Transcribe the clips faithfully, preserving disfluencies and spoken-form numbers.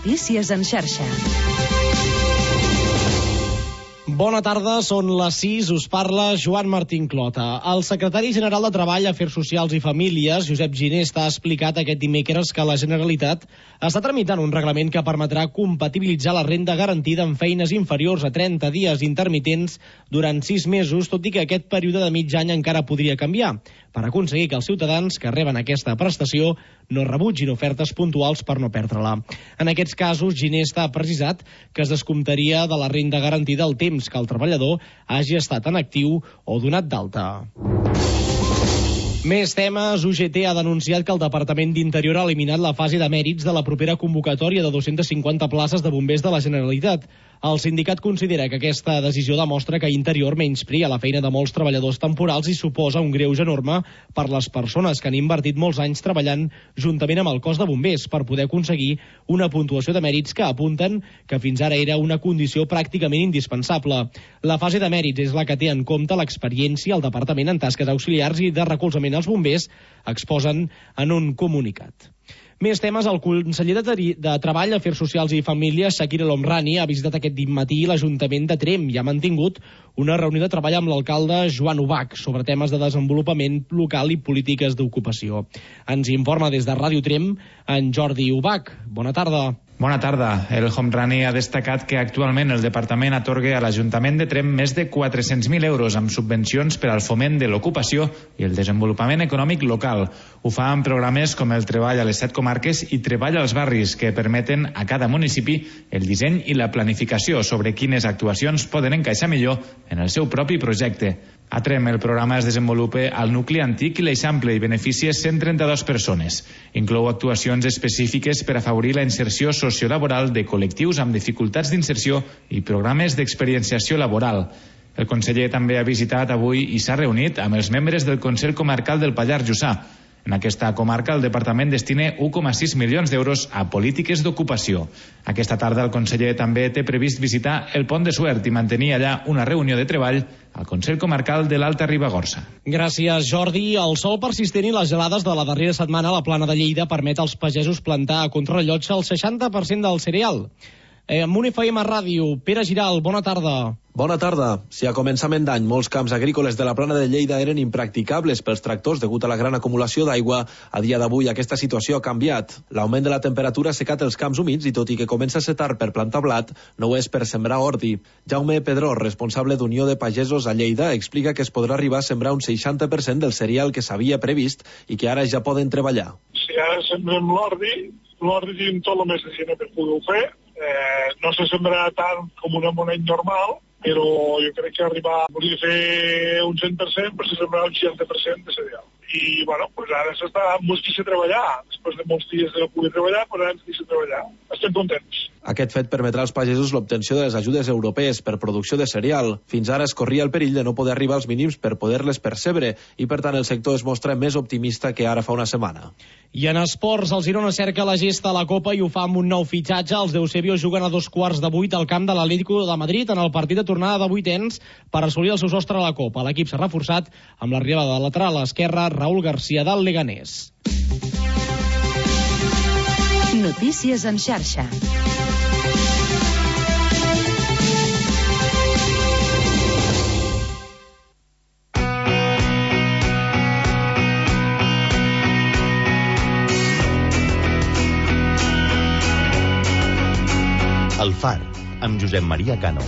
Notícies en xarxa. Bona tarda, són les sis, us parla Joan Martín Clota. El secretari general de Treball, Afers Socials i Famílies, Josep Ginesta, ha explicat aquest dimecres que la Generalitat està tramitant un reglament que permetrà compatibilitzar la renda garantida amb feines inferiors a trenta dies intermitents durant sis mesos, tot i que aquest període de mig any encara podria canviar, per aconseguir que els ciutadans que reben aquesta prestació no rebutgin ofertes puntuals per no perdre-la. En aquests casos, Ginesta ha precisat que es descomptaria de la renda garantida el temps que el treballador hagi estat en actiu o donat d'alta. Més temes. U G T ha denunciat que el Departament d'Interior ha eliminat la fase de mèrits de la propera convocatòria de dues-centes cinquanta places de bombers de la Generalitat. El sindicat considera que aquesta decisió demostra que Interior menysprea la feina de molts treballadors temporals i suposa un greuge enorme per les persones que han invertit molts anys treballant juntament amb el cos de bombers per poder aconseguir una puntuació de mèrits que apunten que fins ara era una condició pràcticament indispensable. La fase de mèrits és la que té en compte l'experiència al Departament en tasques auxiliars i de recolzament als bombers, exposen en un comunicat. Més temes. El conseller de, de Treball, Afers Socials i Famílies, Shakir El Homrani, ha visitat aquest matí l'Ajuntament de Tremp i ha mantingut una reunió de treball amb l'alcalde Joan Ubach sobre temes de desenvolupament local i polítiques d'ocupació. Ens informa des de Ràdio Tremp en Jordi Ubach. Bona tarda. Bona tarda. El Homrani ha destacat que actualment el departament atorga a l'Ajuntament de Tremp més de quatre-cents mil euros amb subvencions per al foment de l'ocupació i el desenvolupament econòmic local. Ho fa amb programes com el Treball a les set comarques i Treball als barris, que permeten a cada municipi el disseny i la planificació sobre quines actuacions poden encaixar millor en el seu propi projecte. A Tremp el programa es desenvolupa al nucli antic i l'Eixample i beneficia cent trenta-dues persones. Inclou actuacions específiques per afavorir la inserció sociolaboral de col·lectius amb dificultats d'inserció i programes d'experienciació laboral. El conseller també ha visitat avui i s'ha reunit amb els membres del Consell Comarcal del Pallars Jussà. En aquesta comarca el departament destina un coma sis milions d'euros a polítiques d'ocupació. Aquesta tarda el conseller també té previst visitar el Pont de Suert i mantenir allà una reunió de treball al Consell Comarcal de l'Alta Ribagorça. Gràcies, Jordi. El sol persistent i les gelades de la darrera setmana a la Plana de Lleida permet als pagesos plantar a contrarrellotge el seixanta per cent del cereal. Eh, amb un F M Ràdio, Pere Giral, bona tarda. Bona tarda. Si a començament d'any molts camps agrícoles de la Plana de Lleida eren impracticables pels tractors degut a la gran acumulació d'aigua, a dia d'avui aquesta situació ha canviat. L'augment de la temperatura ha secat els camps humits i tot i que comença a ser tard per plantar blat, no ho és per sembrar ordi. Jaume Pedró, responsable d'Unió de Pagesos a Lleida, explica que es podrà arribar a sembrar un seixanta per cent del cereal que s'havia previst i que ara ja poden treballar. Si ara sembrem l'ordi, l'ordi tenim tot el mes de gener per poder-ho fer. Eh, no se sembrarà tant com un amoneny normal, però jo crec que arribar a voler fer un cent per cent per sembrar un seixanta per cent de cereal. I, bueno, pues ara s'està ens deixa treballar. Després de molts dies de no poder treballar, però ara ens deixa treballar. Estem contents. Aquest fet permetrà als pagesos l'obtenció de les ajudes europees per producció de cereal. Fins ara es corria el perill de no poder arribar als mínims per poder-les percebre i, per tant, el sector es mostra més optimista que ara fa una setmana. I en esports, el Girona cerca la gesta a la Copa i ho fa amb un nou fitxatge. Els d'Eusebio juguen a dos quarts de vuit al camp de l'Atlético de Madrid en el partit de tornada de vuitens per assolir el seu sostre a la Copa. L'equip s'ha reforçat amb l'arribada de lateral a l'esquerra Raúl García del Leganés. Notícies en xarxa. El Far, amb Josep Maria Cano.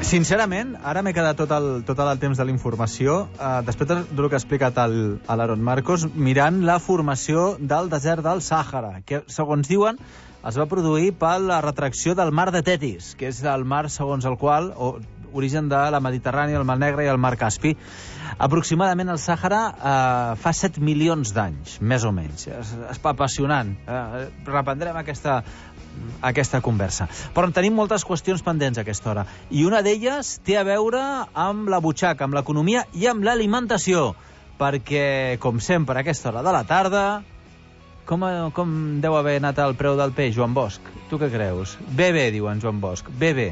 Sincerament, ara m'he quedat tot el, tot el temps de la informació, eh, després del que ha explicat el, l'Aaron Marcos, mirant la formació del desert del Sàhara, que, segons diuen, es va produir per la retracció del mar de Tetis, que és el mar segons el qual, o origen de la Mediterrània, el mar Negre i el mar Caspi. Aproximadament el Sàhara eh, fa set milions d'anys, més o menys. És, és apassionant. Eh, reprendrem aquesta... aquesta conversa. Però en tenim moltes qüestions pendents a aquesta hora. I una d'elles té a veure amb la butxaca, amb l'economia i amb l'alimentació. Perquè, com sempre, a aquesta hora de la tarda, com, com deu haver anat el preu del peix, Joan Bosch? Tu què creus? Bé, bé, diu en Joan Bosch. Bé, bé.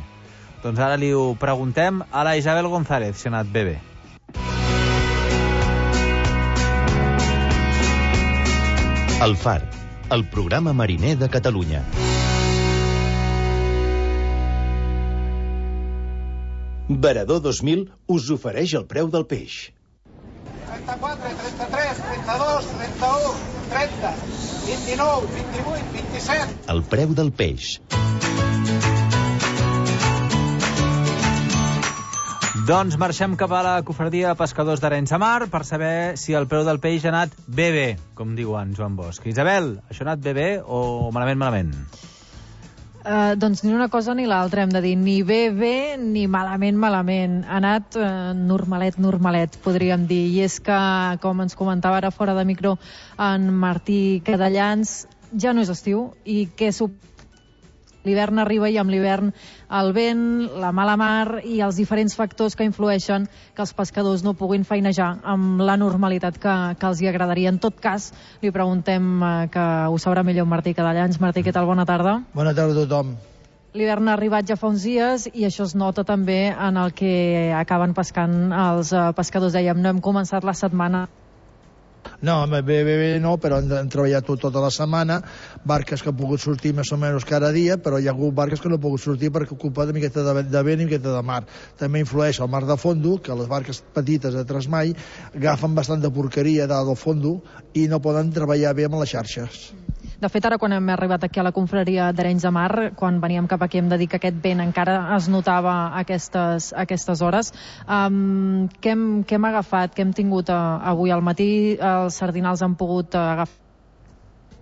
Doncs ara li ho preguntem a la Isabel González, si ha anat bé, bé. El Far, el programa mariner de Catalunya. Varador dos mil us ofereix el preu del peix. trenta-quatre, trenta-tres, trenta-dos, trenta-u, trenta, vint-i-nou, vint-i-vuit, vint-i-set. El preu del peix. Doncs marxem cap a la cofradia de pescadors d'Arenys de Mar per saber si el preu del peix ha anat bé bé, com diuen Joan Bosch. Isabel, això ha anat bé bé o malament malament? Uh, doncs ni una cosa ni l'altra, hem de dir. Ni bé bé ni malament malament. Ha anat uh, normalet, normalet, podríem dir. I és que, com ens comentava ara fora de micro en Martí Cadellans, ja no és estiu i què suposa? L'hivern arriba i amb l'hivern el vent, la mala mar i els diferents factors que influeixen que els pescadors no puguin feinejar amb la normalitat que, que els hi agradaria. En tot cas, li preguntem eh, que ho sabrà millor Martí Cadellans. Martí, què tal? Bona tarda. Bona tarda a tothom. L'hivern ha arribat ja fa uns dies i això es nota també en el que acaben pescant els eh, pescadors. Dèiem, no hem començat la setmana. No, bé, bé, bé, no, però hem, hem treballat tot, tota la setmana, barques que han pogut sortir més o menys cada dia, però hi ha hagut barques que no han pogut sortir perquè ocupa una miqueta de, de vent i una miqueta de mar. També influeix el mar de fondo, que les barques petites de trasmai agafen bastant de porqueria dalt del fondo i no poden treballar bé amb les xarxes. De fet, ara quan hem arribat aquí a la confraria d'Arenys de Mar, quan veníem cap aquí hem de dir que aquest vent encara es notava a aquestes, a aquestes hores. Um, què, hem, què hem agafat? Què hem tingut uh, avui al matí? Els sardinals han pogut uh, agafar?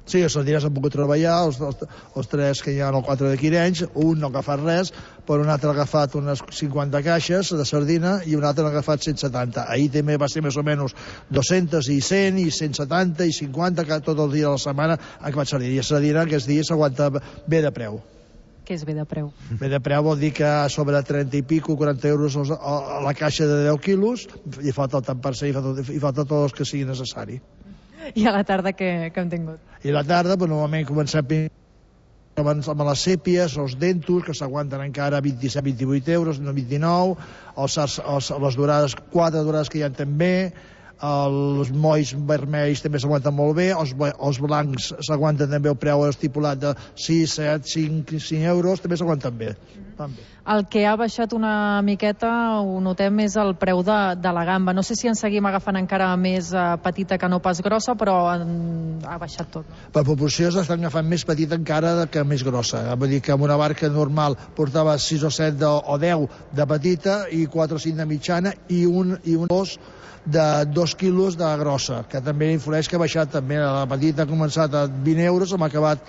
Sí, els sardinals han pogut treballar, els, els, els tres que hi ha, el quatre de Quirenys, un no ha agafat res, però un altre ha agafat unes cinquanta caixes de sardina i un altre ha agafat cent setanta. Ahir també va ser més o menys dos-cents i cent i cent setanta i cinquanta, que tot el dia de la setmana ha agafat sardina. I la sardina aquests dies s'aguanta bé de preu. Què és bé de preu? Bé de preu vol dir que sobre trenta i pico, quaranta euros a la caixa de deu quilos, i falta el tant per cent, i falta, i falta tot el que sigui necessari. I a la tarda què, què hem tingut? I a la tarda, doncs, normalment comencem amb les sèpies, els dentos, que s'aguanten encara vint-i-set vint-i-vuit euros, no vint-i-nou, els, els, les dorades, quatre dorades que hi ha també, els molls vermells també s'aguanten molt bé, els, els blancs s'aguanten també el preu estipulat de sis, set, cinc, cinc euros, també s'aguanten bé. També. El que ha baixat una miqueta, ho notem, és el preu de, de la gamba. No sé si en seguim agafant encara més uh, petita que no pas grossa, però en, ha baixat tot. Per proporció s'estan agafant més petita encara que més grossa. Vull dir que amb una barca normal portava sis o set de, o deu de petita i quatre o cinc de mitjana i un, i un dos de dos quilos de grossa, que també influeix que ha baixat també. La petita ha començat a vint euros, hem acabat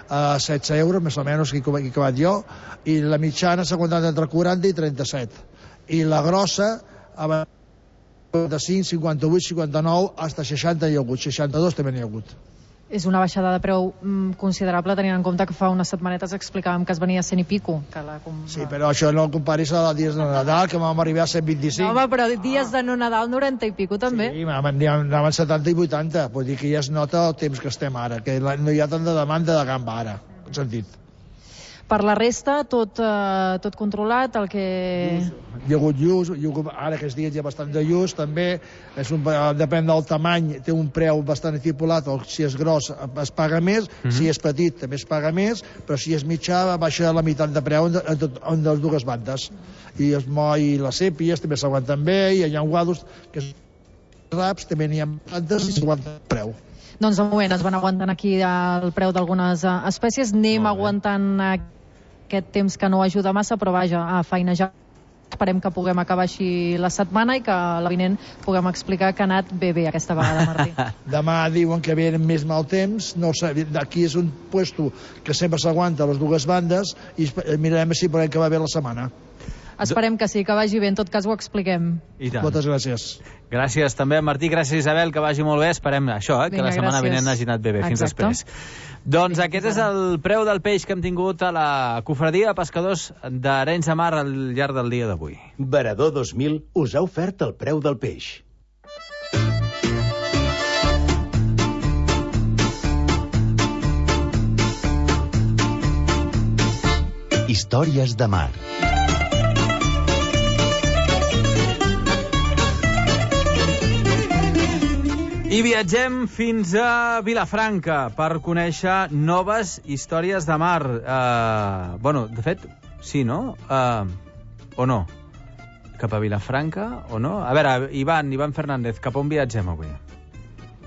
a setze euros, més o menys, que he acabat jo, i la mitjana s'ha aguantat entre quaranta i trenta-set. I la grossa, a cinquanta-cinc, cinquanta-vuit, cinquanta-nou, fins a seixanta hi ha hagut, seixanta-dos també n'hi ha hagut. És una baixada de preu mm, considerable, tenint en compte que fa unes setmanetes explicàvem que es venia a cent i pico. Que la com... Sí, però això no el comparis a dies de Nadal, que vam arribar a cent vint-i-cinc. No, home, però dies de no Nadal, noranta i pico, també. Sí, anaven setanta i vuitanta, vull dir que ja es nota el temps que estem ara, que no hi ha tanta demanda de gamba ara, en sentit. Per la resta, tot, eh, tot controlat, el que... Hi ha hagut lluç, ara aquests dies hi ha bastant de lluç, també, és un, depèn del tamany, té un preu bastant estipulat, o si és gros es paga més, mm-hmm. si és petit també es paga més, però si és mitjà baixa la meitat de preu en, en, en les dues bandes. I els moll i les sèpies també s'aguanten bé, i hi ha guados, que és raps, també n'hi ha bandes i s'aguanten el preu. Doncs de moment es van aguantant aquí el preu d'algunes espècies, anem aguantant aquest temps que no ajuda massa, però vaja, a feinejar. Esperem que puguem acabar així la setmana i que la vinent puguem explicar que ha anat bé bé aquesta vegada, Martí. Demà diuen que ve més mal temps, no sé, aquí és un puesto que sempre s'aguanta a les dues bandes i mirarem si podem acabar bé la setmana. Esperem que sí, que vagi bé, en tot cas ho expliquem. I tant. Moltes gràcies. Gràcies també, Martí, gràcies Isabel, que vagi molt bé, esperem això, eh, que Vinga, la setmana gràcies. vinent hagi anat bé bé. Fins Exacte. després. Doncs aquest és el preu del peix que hem tingut a la cofradia de pescadors d'Arenys de Mar al llarg del dia d'avui. Varador dos mil us ha ofert el preu del peix. Històries de mar. I viatgem fins a Vilafranca per conèixer noves històries de mar. Uh, bueno, de fet, sí, no? Uh, o no? Cap a Vilafranca o no? A veure, Ivan, Ivan Fernández, cap on viatgem avui?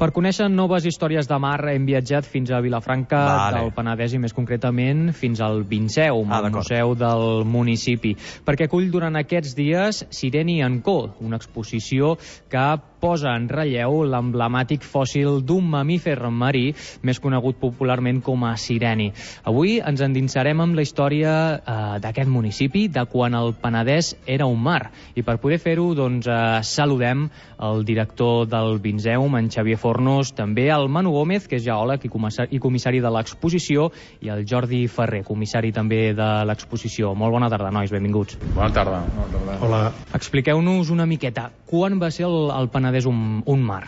Per conèixer noves històries de mar hem viatjat fins a Vilafranca vale. del Penedès i més concretament fins al Vinceum, ah, el museu del municipi, perquè acull durant aquests dies Sireni and Co, una exposició que posa en relleu l'emblemàtic fòssil d'un mamífer marí més conegut popularment com a sireni. Avui ens endinsarem amb la història eh, d'aquest municipi, de quan el Penedès era un mar. I per poder fer-ho, doncs, eh, saludem el director del Vinceum, en Xavier Fornos, també el Manu Gómez, que és geòleg i comissari, i comissari de l'exposició, i el Jordi Ferrer, comissari també de l'exposició. Molt bona tarda, nois, benvinguts. Bona tarda. Bona tarda. Hola. Expliqueu-nos una miqueta, quan va ser el, el Penedès un, un mar?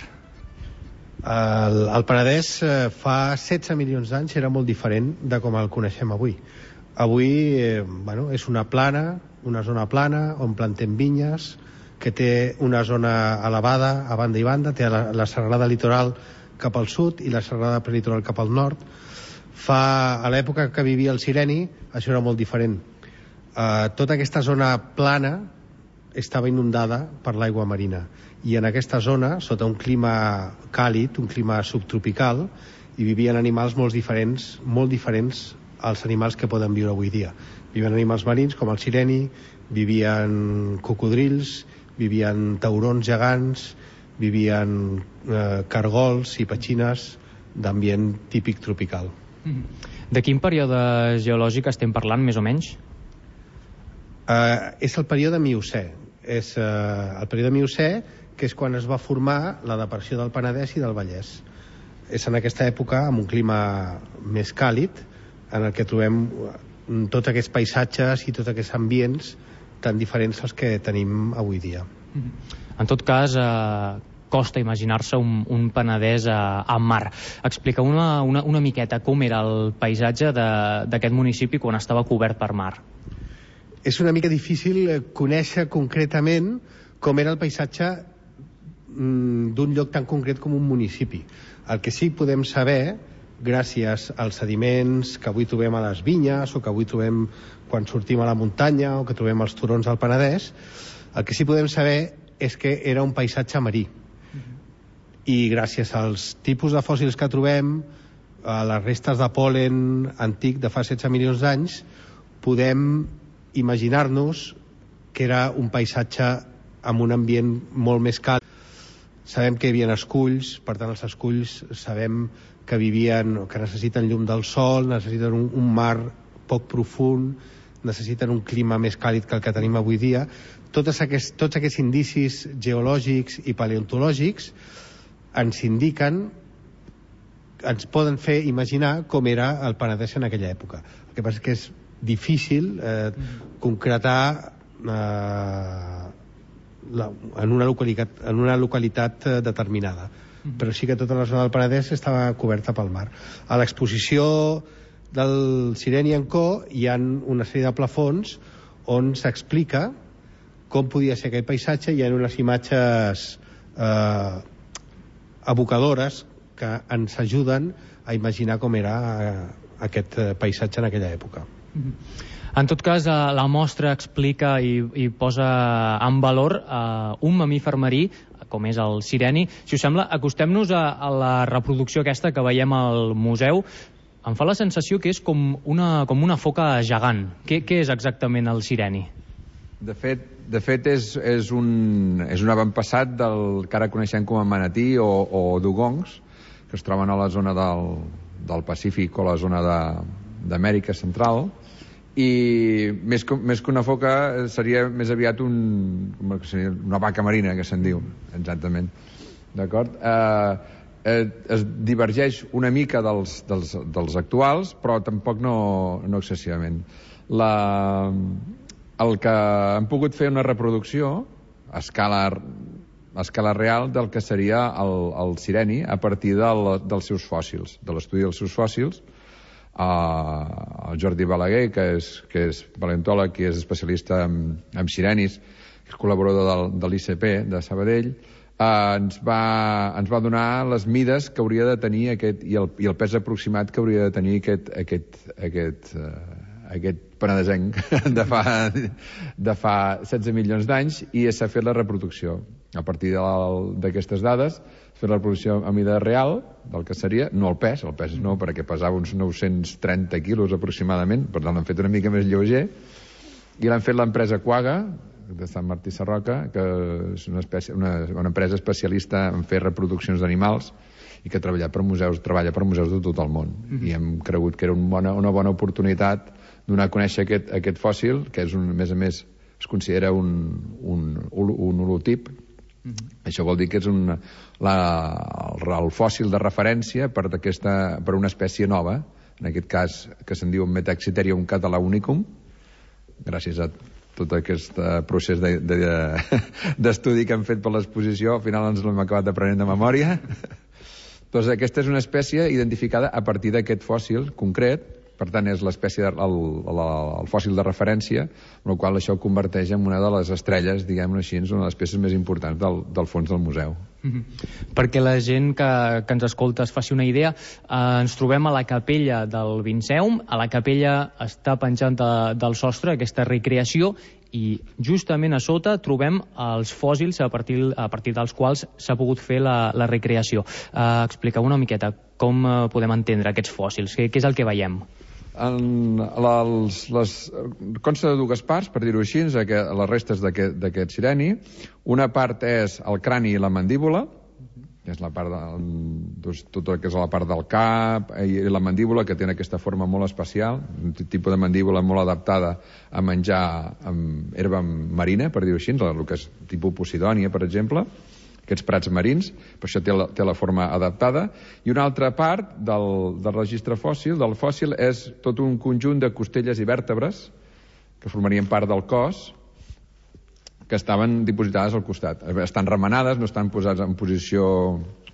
El, el Penedès eh, fa setze milions d'anys era molt diferent de com el coneixem avui. Avui eh, bueno, és una plana, una zona plana on plantem vinyes, que té una zona elevada a banda i banda, té la, la serralada litoral cap al sud i la serralada prelitoral cap al nord. Fa, a l'època que vivia el Sireni, això era molt diferent. Eh, tota aquesta zona plana estava inundada per l'aigua marina, i en aquesta zona, sota un clima càlid, un clima subtropical, hi vivien animals molt diferents, molt diferents als animals que poden viure avui dia. Vivien animals marins com el sireni, vivien cocodrils, vivien taurons gegants, vivien eh, cargols i petxines d'ambient típic tropical. De quin període geològic estem parlant, més o menys? Eh, és el període Miocè. És eh, el període Miocè, que és quan es va formar la depressió del Penedès i del Vallès. És en aquesta època, amb un clima més càlid, en el que trobem tots aquests paisatges i tots aquests ambients tan diferents als que tenim avui dia. En tot cas, eh, costa imaginar-se un, un Penedès a, a mar. Explica una, una, una miqueta com era el paisatge d'aquest municipi quan estava cobert per mar. És una mica difícil conèixer concretament com era el paisatge d'un lloc tan concret com un municipi. El que sí podem saber, gràcies als sediments que avui trobem a les vinyes o que avui trobem quan sortim a la muntanya o que trobem als turons del Penedès, el que sí podem saber és que era un paisatge marí. I gràcies als tipus de fòssils que trobem, a les restes de pol·len antic de fa setze milions d'anys, podem imaginar-nos que era un paisatge amb un ambient molt més càlid. Sabem que hi havia esculls, per tant els esculls sabem que vivien, que necessiten llum del sol, necessiten un, un mar poc profund, necessiten un clima més càlid que el que tenim avui dia. Tots aquests, tots aquests indicis geològics i paleontològics ens indiquen, ens poden fer imaginar com era el Penedès en aquella època. El que passa és que és difícil eh, concretar eh, la, en, una localitat, en una localitat eh, determinada. Mm-hmm. Però sí que tota la zona del Penedès estava coberta pel mar. A l'exposició del Sireni and Co hi ha una sèrie de plafons on s'explica com podia ser aquell paisatge. Hi ha unes imatges eh, evocadores que ens ajuden a imaginar com era eh, aquest paisatge en aquella època. En tot cas, la mostra explica i, i posa en valor uh, un mamífer marí, com és el sireni. Si us sembla, acostem-nos a, a la reproducció aquesta que veiem al museu. Em fa la sensació que és com una, com una foca gegant. Què, què és exactament el sireni? De fet, de fet és, és, un, és un avantpassat del que ara coneixem com a manatí o, o dugongs, que es troben a la zona del, del Pacífic o la zona d'Amèrica Central. I més que, més que una foca seria més aviat un, una vaca marina, que se'n diu, exactament. D'acord? Eh, eh, es divergeix una mica dels, dels, dels actuals, però tampoc no, no excessivament. La, el que han pogut fer una reproducció a escala, a escala real del que seria el, el sireni a partir del, dels seus fòssils, de l'estudi dels seus fòssils, el Jordi Balaguer, que és, que és paleontòleg i és especialista en, en sirenis, que és col·laborador del, de l'I C P de Sabadell, eh, ens, va, ens va donar les mides que hauria de tenir aquest, i, el, i el pes aproximat que hauria de tenir aquest, aquest, aquest, eh, aquest penedesenc de fa, de fa setze milions d'anys, i s'ha fet la reproducció. A partir d'aquestes dades, fer la reproducció a mida real del que seria, no el pes, el pes no, perquè pesava uns nou-cents trenta quilos aproximadament, per tant l'han fet una mica més lleuger, i l'han fet l'empresa Quagga, de Sant Martí Sarroca, que és una, espècie, una, una empresa especialista en fer reproduccions d'animals i que treballa per museus, treballa per museus de tot el món. Mm-hmm. I hem cregut que era una bona, una bona oportunitat donar a conèixer aquest, aquest fòssil, que és un, a més a més es considera un, un, un holotip. Mm-hmm. Això vol dir que és un, la, el, el fòssil de referència per, per una espècie nova, en aquest cas que se'n diu Metaxitherium catalaunicum, gràcies a tot aquest procés de, de, d'estudi que hem fet per l'exposició. Al final ens l'hem acabat aprenent de memòria. Doncs aquesta és una espècie identificada a partir d'aquest fòssil concret, per tant és l'espècie, el, el, el fòssil de referència, amb la qual això converteix en una de les estrelles, diguem-ho així, una de les peces més importants del, del fons del museu. Mm-hmm. Perquè la gent que, que ens escolta es faci una idea, eh, ens trobem a la capella del Vinceum, a la capella està penjant de, del sostre aquesta recreació, i justament a sota trobem els fòssils a partir, a partir dels quals s'ha pogut fer la, la recreació. Eh, expliqueu una miqueta com eh, podem entendre aquests fòssils, què, què és el que veiem? En, les, les, consta de dues parts, per dir-ho així, les restes d'aquest sireni. Una part és el crani i la mandíbula, que és la part de, doncs, tot el que és la part del cap i la mandíbula, que té aquesta forma molt especial, un tipus de mandíbula molt adaptada a menjar amb herba marina, per dir-ho així, el que és tipus Posidònia, per exemple, aquests prats marins, per això té la, té la forma adaptada. I una altra part del, del registre fòssil, del fòssil, és tot un conjunt de costelles i vèrtebres que formarien part del cos, que estaven dipositades al costat. Estan remenades, no estan posats en posició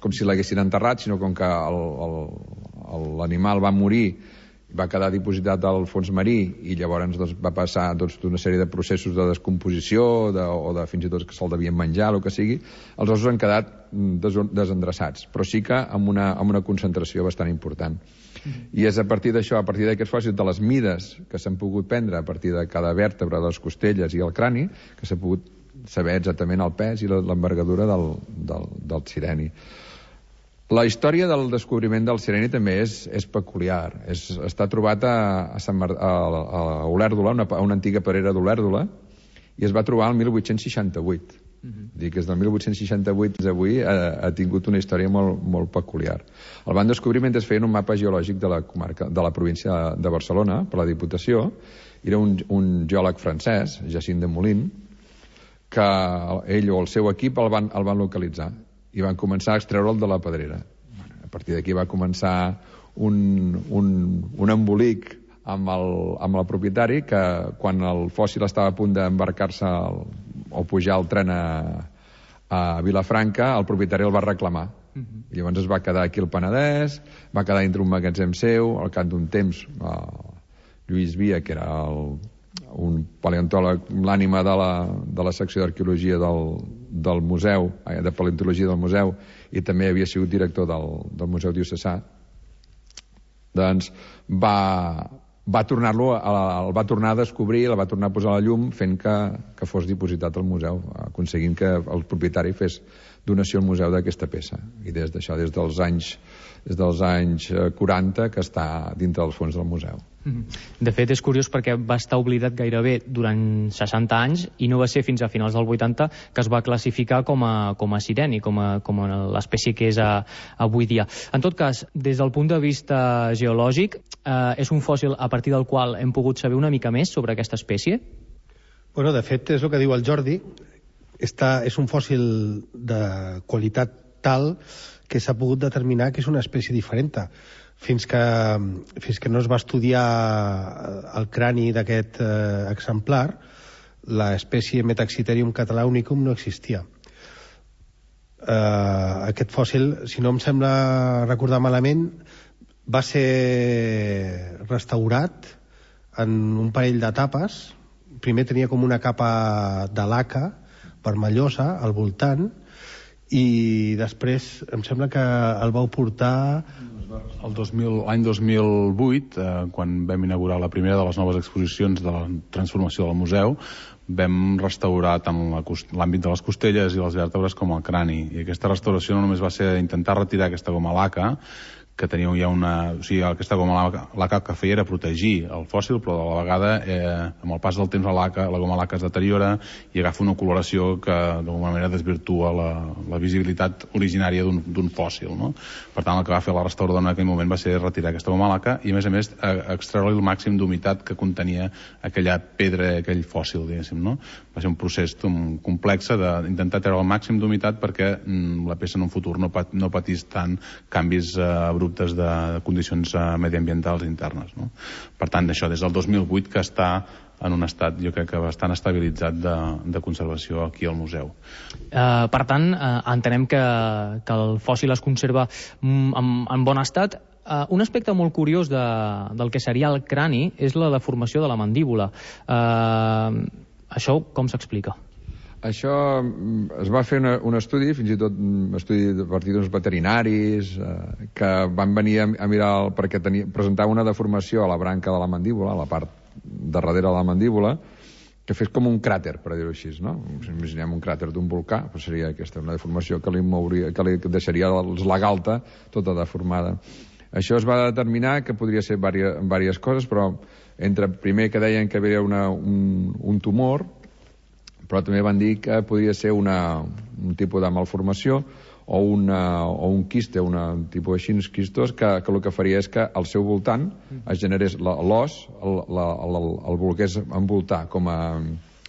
com si l'haguessin enterrat, sinó com que l'animal va morir, va quedar dipositat al fons marí i llavors doncs, va passar doncs, una sèrie de processos de descomposició de, o de fins i tot que se'l devien menjar, el que sigui. Els ossos han quedat des, desendreçats, però sí que amb una, amb una concentració bastant important. I és a partir d'això, a partir d'aquests fòssils, de les mides que s'han pogut prendre a partir de cada vèrtebra de les costelles i el crani, que s'ha pogut saber exactament el pes i l'envergadura del, del, del sireni. La història del descobriment del sireni també és, és peculiar. És, està trobat a, a, Sant Mar, a, a Olèrdola, una, a una antiga pedrera d'Olèrdola, i es va trobar el mil vuit-cents seixanta-vuit. Mm-hmm. Dic que des del mil vuit-cents seixanta-vuit fins avui ha, ha tingut una història molt, molt peculiar. El van descobrir mentre es feien un mapa geològic de la comarca, de la província de Barcelona, per la Diputació. Era un, un geòleg francès, Jacint de Molin, que ell o el seu equip el van, el van localitzar i van començar a extreure'l de la pedrera. A partir d'aquí va començar un, un, un embolic amb el, amb el propietari, que quan el fòssil estava a punt d'embarcar-se o pujar el tren a, a Vilafranca, el propietari el va reclamar. Uh-huh. I llavors es va quedar aquí al Penedès, va quedar dintre un magatzem seu. Al cap d'un temps, el Lluís Via, que era el, un paleontòleg, l'ànima de la, de la secció d'arqueologia del, del museu, de paleontologia del museu, i també havia sigut director del, del Museu Diocesà, doncs va, va tornar-lo, el va tornar a descobrir, el va tornar a posar a la llum, fent que, que fos dipositat al museu, aconseguint que el propietari fes donació al museu d'aquesta peça. I des d'això, des dels anys des dels anys quaranta, que està dintre dels fons del museu. De fet, és curiós perquè va estar oblidat gairebé durant seixanta anys i no va ser fins a finals del vuitanta que es va classificar com a, com a sireni, com a, com a l'espècie que és a, avui dia. En tot cas, des del punt de vista geològic, eh, és un fòssil a partir del qual hem pogut saber una mica més sobre aquesta espècie? Bueno, de fet, és el que diu el Jordi. Està, és un fòssil de qualitat tal que s'ha pogut determinar que és una espècie diferent. Fins que, fins que no es va estudiar el crani d'aquest eh, exemplar, l'espècie Metaxitherium catalaunicum no existia. Eh, aquest fòssil, si no em sembla recordar malament, va ser restaurat en un parell d'etapes. Primer tenia com una capa de laca vermellosa al voltant, i després em sembla que el vau portar el dos mil, l'any dos mil vuit, eh, quan vam inaugurar la primera de les noves exposicions de la transformació del museu, vam restaurar tant l'àmbit de les costelles i les vèrtebres com el crani, i aquesta restauració no només va ser intentar retirar aquesta goma laca, que tenia ja una... O sigui, aquesta goma laca que feia era protegir el fòssil, però a la vegada, eh, amb el pas del temps, la, laca, la goma laca es deteriora i agafa una coloració que d'alguna manera desvirtua la, la visibilitat originària d'un fòssil, no? Per tant, el que va fer la restauradora en aquell moment va ser retirar aquesta goma laca i, a més a més, extreure el màxim d'humitat que contenia aquella pedra, aquell fòssil, diguéssim, no? Va ser un procés complex d'intentar treure el màxim d'humitat perquè mm, la peça en un futur no, pat, no patís tant canvis eh, abruptes de condicions mediambientals internes, no? Per tant, això des del dos mil vuit que està en un estat, jo crec que bastant estabilitzat de, de conservació aquí al museu. Uh, per tant, uh, entenem que, que el fòssil es conserva mm, en, en bon estat. Uh, un aspecte molt curiós de, del que seria el crani és la deformació de la mandíbula. Uh, això com s'explica? Això es va fer una, un estudi, fins i tot un estudi a partir d'uns veterinaris eh, que van venir a, a mirar el, perquè tenia, presentava una deformació a la branca de la mandíbula, a la part de darrere de la mandíbula, que fes com un cràter, per dir-ho així, no? Si imaginem un cràter d'un volcà, doncs seria aquesta, una deformació que li, mouria, que li deixaria la galta tota deformada. Això es va determinar que podria ser diverses, diverses coses, però entre primer que deien que hi havia una, un, un tumor, però també van dir que podria ser una, un tipus de malformació o, una, o un quiste, una, un tipus així, uns quistos, que, que el que faria és que al seu voltant es generés l'os, el, el, el, el volgués envoltar, com, a,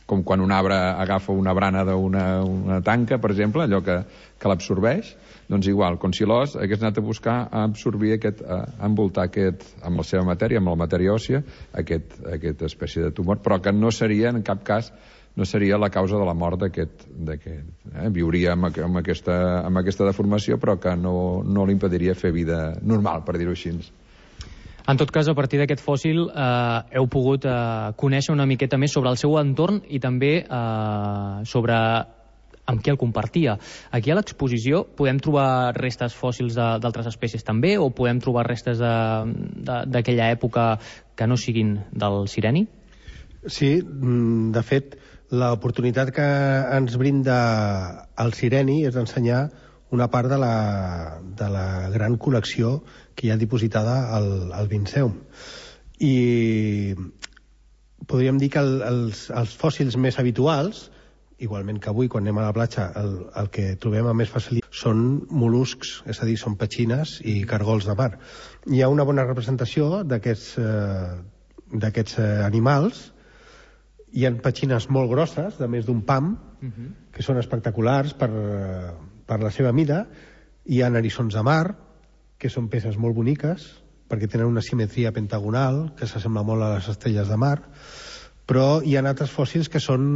com quan un arbre agafa una brana d'una una tanca, per exemple, allò que, que l'absorbeix, doncs igual, com si l'os hagués anat a buscar a absorbir aquest, a envoltar aquest, amb la seva matèria, amb la matèria òssia, aquest, aquesta espècie de tumor, però que no seria en cap cas no seria la causa de la mort d'aquest... Eh? Viuria amb, amb, aquesta, amb aquesta deformació, però que no, no li impediria fer vida normal, per dir-ho així. En tot cas, a partir d'aquest fòssil eh, heu pogut eh, conèixer una miqueta més sobre el seu entorn i també eh, sobre amb qui el compartia. Aquí a l'exposició podem trobar restes fòssils d'altres espècies també, o podem trobar restes d'aquella època que no siguin del sireni? Sí, de fet, l'oportunitat que ens brinda el sireni és d'ensenyar una part de la, de la gran col·lecció que hi ha dipositada al, al Vinceum. I podríem dir que el, els, els fòssils més habituals, igualment que avui quan anem a la platja, el, el que trobem amb més facilitat són mol·luscs, és a dir, són petxines i cargols de mar. Hi ha una bona representació d'aquests eh, d'aquests eh, animals. Hi ha petxines molt grosses, de més d'un pam, uh-huh. que són espectaculars per, per la seva mida. Hi ha eriçons de mar, que són peces molt boniques, perquè tenen una simetria pentagonal, que s'assembla molt a les estrelles de mar. Però hi ha altres fòssils que són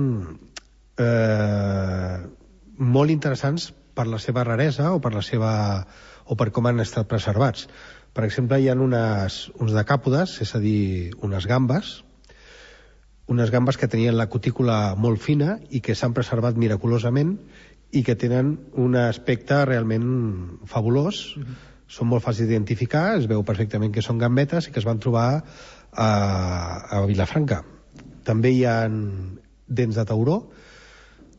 eh, molt interessants per la seva raresa o per, la seva, o per com han estat preservats. Per exemple, hi ha unes, uns decàpodes, és a dir, unes gambes, unes gambes que tenien la cutícula molt fina i que s'han preservat miraculosament i que tenen un aspecte realment fabulós. Mm-hmm. Són molt fàcils d'identificar, es veu perfectament que són gambetes i que es van trobar a, a Vilafranca. També hi ha dents de tauró,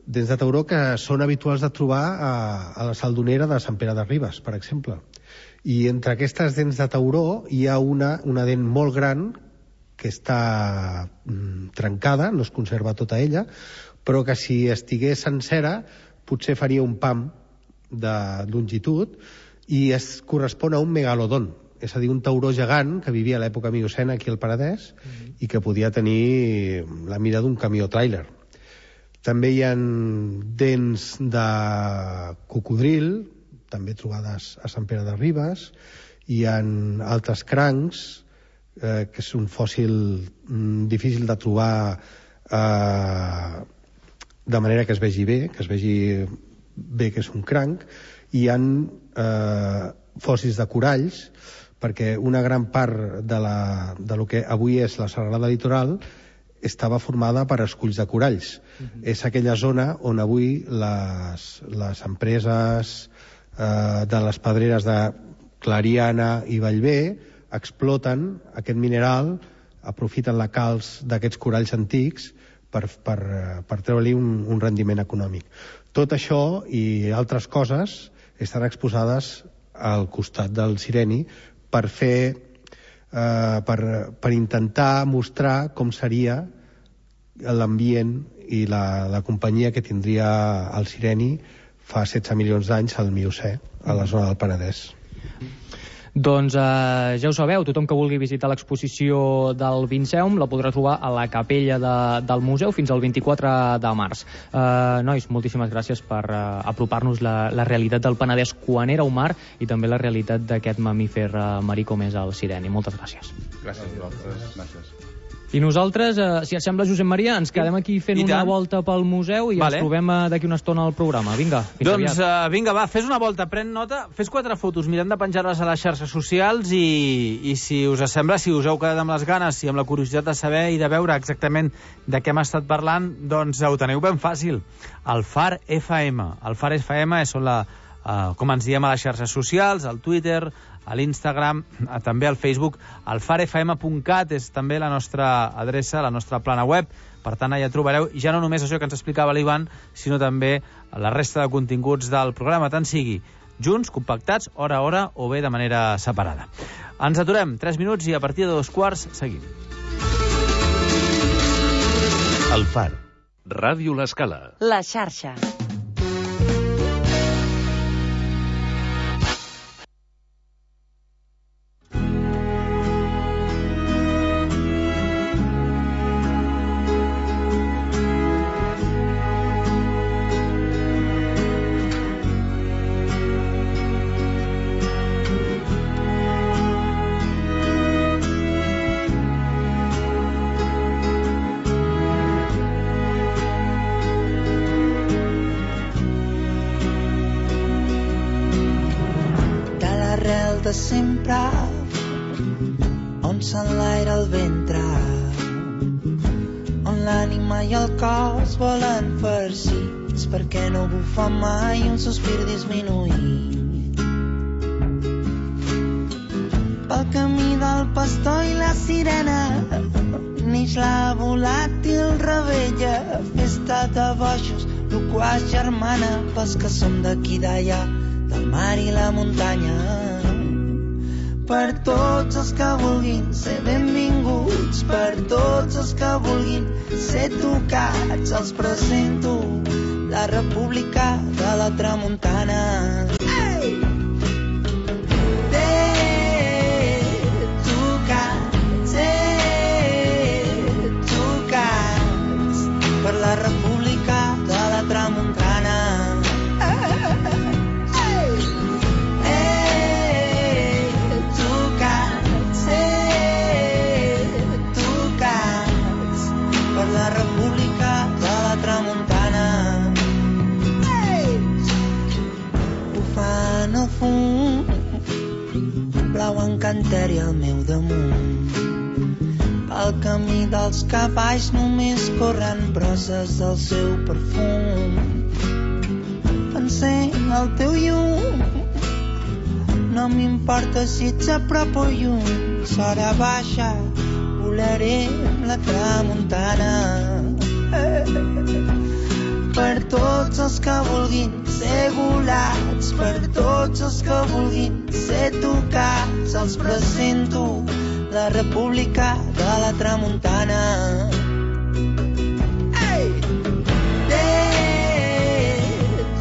dents de tauró que són habituals de trobar a, a la Saldonera de Sant Pere de Ribes, per exemple. I entre aquestes dents de tauró hi ha una, una dent molt gran que està mm, trencada, no es conserva tota ella, però que si estigués sencera potser faria un pam de longitud i es correspon a un megalodon, és a dir, un tauró gegant que vivia a l'època miocena aquí al Penedès mm-hmm. i que podia tenir la mida d'un camió tràiler. També hi ha dents de cocodril, també trobades a Sant Pere de Ribes, hi ha altres crancs, Eh, que és un fòssil mm, difícil de trobar eh, de manera que es vegi bé, que es vegi bé que és un cranc. Hi ha eh, fòssils de coralls, perquè una gran part de, la, de lo que avui és la serralada litoral estava formada per esculls de coralls. Uh-huh. És aquella zona on avui les, les empreses eh, de les pedreres de Clariana i Bellver exploten aquest mineral, aprofiten la calç d'aquests coralls antics per, per, per treure-li un, un rendiment econòmic. Tot això i altres coses estan exposades al costat del Sireni per fer eh, per, per intentar mostrar com seria l'ambient i la, la companyia que tindria el Sireni fa setze milions d'anys al Miocè, a la zona del Penedès. Doncs eh, ja ho sabeu, tothom que vulgui visitar l'exposició del Vinceum la podrà trobar a la capella de, del museu fins al vint-i-quatre de març. Eh, nois, moltíssimes gràcies per eh, apropar-nos la, la realitat del Penedès quan era un mar i també la realitat d'aquest mamífer eh, marí com és el Sireni. Moltes gràcies. Gràcies a vosaltres. Gràcies. I nosaltres, eh, si et sembla, Josep Maria, ens quedem aquí fent una volta pel museu i vale. Ens trobem eh, d'aquí una estona al programa. Vinga, fins doncs, aviat. Uh, vinga, va, fes una volta, pren nota, fes quatre fotos, mirem de penjar-les a les xarxes socials i, i si us sembla, si us heu quedat amb les ganes i amb la curiositat de saber i de veure exactament de què hem estat parlant, doncs ho teniu ben fàcil. El Far F M. El Far F M són la, uh, com ens diem a les xarxes socials, al Twitter, a l'Instagram, també al Facebook. El far f m punt cat és també la nostra adreça, la nostra plana web. Per tant, allà trobareu ja no només això que ens explicava l'Ivan, sinó també la resta de continguts del programa, tant sigui junts, compactats, hora a hora, o bé de manera separada. Ens aturem tres minuts i a partir de dos quarts seguim. El Far. Ràdio L'Escala. La xarxa. de sempre, on s'enlaira el ventre, on l'ànima i el cos volen farcits, perquè no bufa mai un sospir disminuït. Pel camí del pastor i la sirena neix la volàtil rebella, festa de bojos, loquaç germana, pels que som d'aquí d'allà, del mar i la muntanya. Per tots els que vulguin ser benvinguts, per tots els que vulguin ser tocats, els presento la República de la Tramuntana. Ei! Tocats, eh, tocats, per la República de la Tramuntana. La República de la Tramuntana. Ei! Bufant el fum, blau encanteri al meu damunt. Pel camí dels cavalls només corren brosses del seu perfum. Pensem el teu llum, no m'importa si ets a prop o lluny, s'hora baixa, volarem la tramuntana. Per tots els que vulguin ser volats, per tots els que vulguin ser tocats, els presento la República de la Tramuntana. Ei!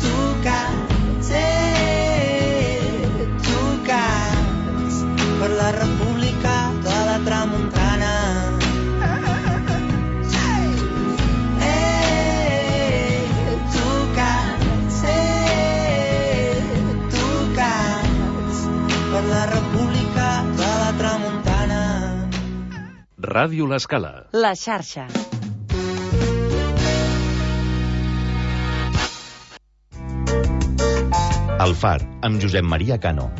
Tocats, eh, tocats, per la República de la Tramuntana. La República de la Tramuntana. Ràdio L'Escala. La xarxa. El Far, amb Josep Maria Cano.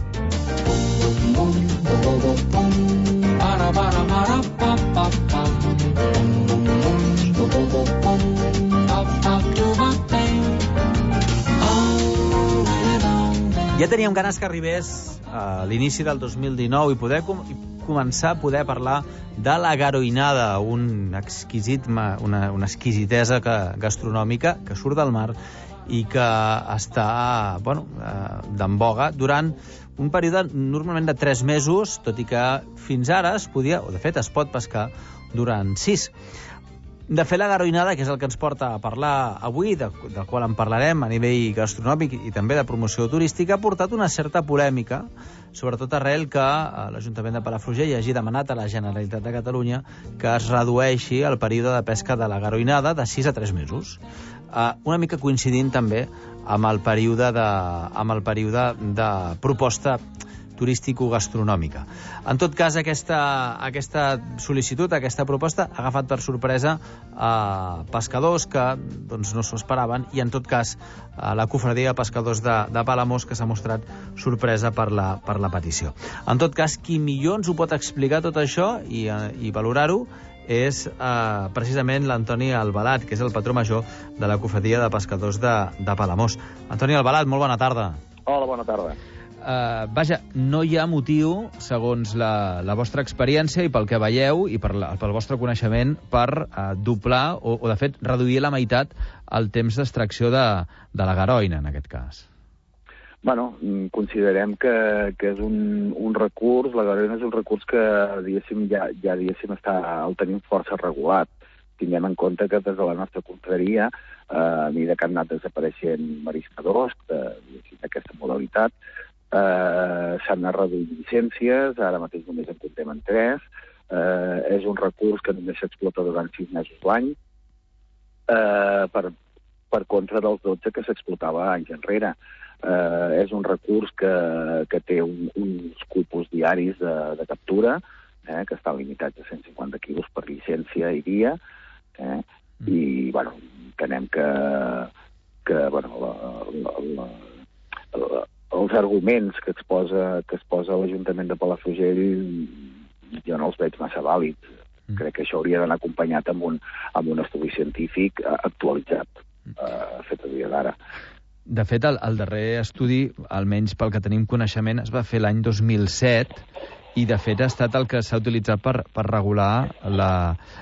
Ja teníem ganes que arribés a l'inici del dos mil dinou i poder com i començar a poder parlar de la garoinada, un exquisit, una, una exquisitesa que, gastronòmica que surt del mar i que està, bueno, d'en boga durant un període normalment de tres mesos, tot i que fins ara es podia, o de fet es pot pescar durant sis. De fet, la garoinada, que és el que ens porta a parlar avui, de, del qual en parlarem a nivell gastronòmic i també de promoció turística, ha portat una certa polèmica, sobretot arrel que l'Ajuntament de Palafrugell hagi demanat a la Generalitat de Catalunya que es redueixi el període de pesca de la garoinada de sis a tres mesos. Uh, una mica coincidint també amb el període de, amb el període de proposta turístico-gastronòmica. En tot cas, aquesta, aquesta sol·licitud, aquesta proposta, ha agafat per sorpresa a pescadors que doncs, no s'ho esperaven i, en tot cas, a la cofradia de pescadors de, de Palamós, que s'ha mostrat sorpresa per la, per la petició. En tot cas, qui millor ens ho pot explicar tot això i, i valorar-ho és eh, precisament l'Antoni Albalat, que és el patró major de la cofradia de pescadors de, de Palamós. Antoni Albalat, molt bona tarda. Hola, bona tarda. Uh, vaja, no hi ha motiu, segons la, la vostra experiència i pel que veieu i per la, pel vostre coneixement, per uh, doblar o, o, de fet, reduir la meitat el temps d'extracció de, de la garoina, en aquest cas. Bueno, considerem que, que és un, un recurs, la garoina és un recurs que, diguéssim, ja, ja diguéssim, està, el tenim força regulat. Tinguem en compte que des de la nostra confraria, eh, a mesura que han anat desapareixent mariscadors d'aquesta modalitat, Uh, s'han anat reduint llicències, ara mateix només en comptem en tres, uh, és un recurs que només s'explota durant sis mesos l'any, uh, per, per contra dels dotze que s'explotava anys enrere. Uh, és un recurs que, que té un, uns cupos diaris de, de captura, eh, que estan limitats a cent cinquanta quilos per llicència i dia, eh, mm. i bueno, entenem que, que bueno, la, la, la, la els arguments que exposa, que exposa l'Ajuntament de Palafrugell jo no els veig massa vàlids. Mm. Crec que això hauria d'anar acompanyat amb un, amb un estudi científic actualitzat, eh, fet a dia d'ara. De fet, el, el darrer estudi, almenys pel que tenim coneixement, es va fer l'any dos mil set i, de fet, ha estat el que s'ha utilitzat per, per regular la,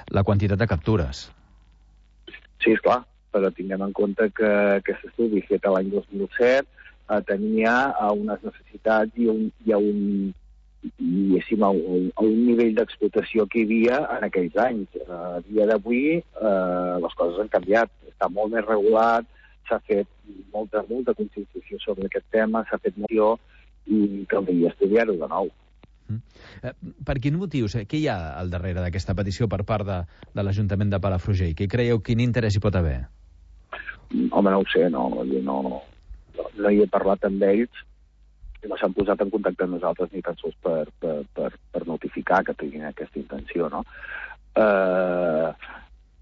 la quantitat de captures. Sí, esclar, però tinguem en compte que aquest estudi fet l'any dos mil set tenia unes necessitats i, un, i a, un, i a, un, a un nivell d'explotació que hi havia en aquells anys. A dia d'avui eh, les coses han canviat, està molt més regulat, s'ha fet molta, molta conscienciació sobre aquest tema, s'ha fet moció i caldria estudiar-ho de nou. Mm. Eh, per quin motiu? Què hi ha al darrere d'aquesta petició per part de, de l'Ajuntament de Palafrugell? Què creieu, quin interès hi pot haver? Home, no ho sé, no, no, no hi he parlat amb ells i no s'han posat en contacte amb nosaltres ni tan sols per, per, per, per notificar que tinguin aquesta intenció, no? Eh,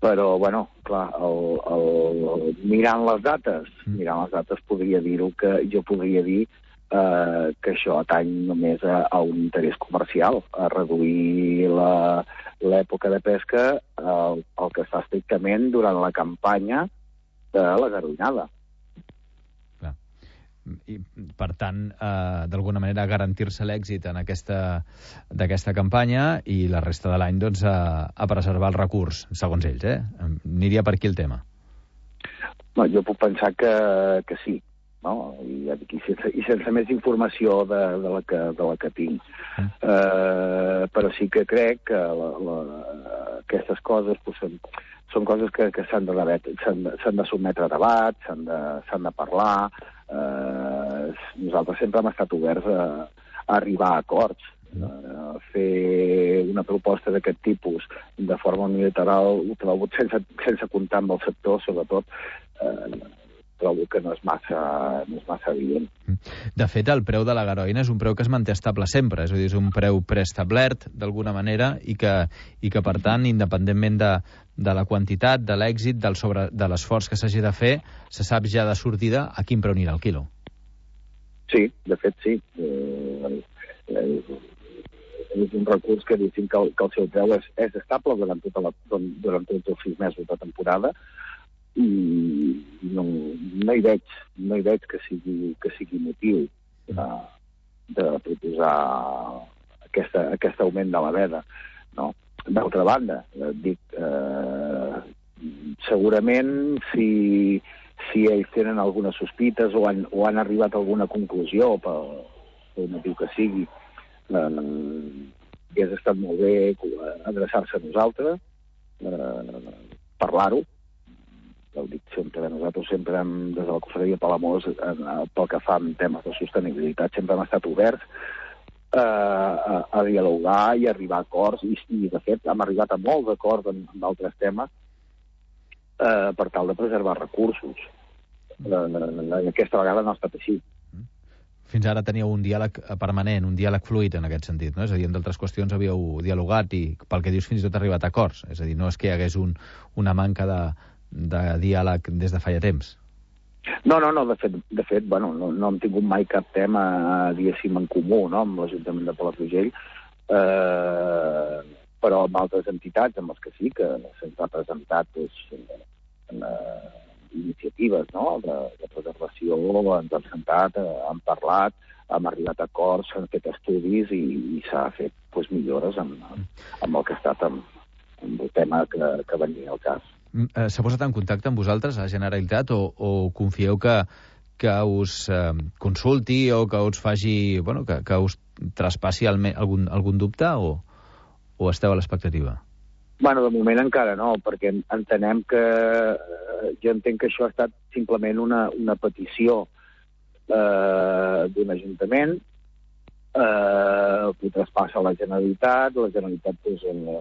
però, bueno, clar, el, el, mirant les dates, mirant les dates podria dir-ho que jo podria dir eh, que això atany només a, a un interès comercial, a reduir l'època de pesca al, al que està estrictament durant la campanya de la garoinada. I, per tant, eh, d'alguna manera garantir-se l'èxit en aquesta d'aquesta campanya i la resta de l'any doncs, a, a preservar el recurs, segons ells, eh? Aniria per aquí el tema. No, jo puc pensar que, que sí, no? I, i, sense, i sense més informació de, de, la, que, de la que tinc. Mm. Eh, però sí que crec que la, la, aquestes coses pues, són, són coses que, que s'han de, de, de sotmetre a debat, s'han de, s'han de parlar. Eh, nosaltres sempre hem estat oberts a, a arribar a acords. Uh, fer una proposta d'aquest tipus de forma unilateral ho trobo sense, sense comptar amb el sector, sobretot eh, trobo que no és massa, no és massa evident. De fet, el preu de la garoina és un preu que es manté estable sempre, és a dir, és un preu preestablert d'alguna manera i que, i que per tant, independentment de, de la quantitat, de l'èxit, del sobre, de l'esforç que s'hagi de fer, se sap ja de sortida a quin preu anirà el quilo. Sí, de fet sí. Eh, eh, és un recurs que diguem que el, que el seu preu és, és estable durant, tota la, durant tots els sis mesos de temporada i no, no hi veig no hi veig que sigui, que sigui motiu. de, de proposar aquesta, aquest augment de la veda, no? D'altra banda, eh, dic, eh, segurament si, si ells tenen algunes sospites o han, o han arribat a alguna conclusió pel, pel motiu que sigui, eh, hauria estat molt bé adreçar-se a nosaltres, eh, parlar-ho. Ja ho dic sempre, nosaltres sempre hem, des de la Confraria Palamós, pel que fa en temes de sostenibilitat, sempre hem estat oberts eh, a, a dialogar i arribar a acords, i, i de fet hem arribat a molts acords en, en altres temes eh, per tal de preservar recursos. Eh, aquesta vegada no ha estat així. Fins ara teníeu un diàleg permanent, un diàleg fluid en aquest sentit, no? És a dir, en d'altres qüestions havíeu dialogat i, pel que dius, fins i tot arribat a acords. És a dir, no és que hi hagués un, una manca de, de diàleg des de feia temps. No, no, no, de fet, de fet bueno, no, no hem tingut mai cap tema, diguéssim, en comú, no?, amb l'Ajuntament de Palafrugell, eh, però amb altres entitats, amb els que sí, que se'ns ha presentat doncs, en, en, iniciatives, no?, de, de preservació, ens hem sentat, eh, hem parlat, hem arribat a acords, s'han fet estudis i, i s'ha fet pues, millores amb, amb el que ha estat amb, amb el tema que, que venia al cas. S'ha posat en contacte amb vosaltres, a la Generalitat, o, o confieu que, que us eh, consulti o que us faci, bueno, que, que us traspassi alme, algun, algun dubte o, o esteu a l'expectativa? Bueno, de moment encara no, perquè entenem que... Eh, jo entenc que això ha estat simplement una, una petició eh, d'un ajuntament, eh, que traspassa a la Generalitat, la Generalitat pues, eh,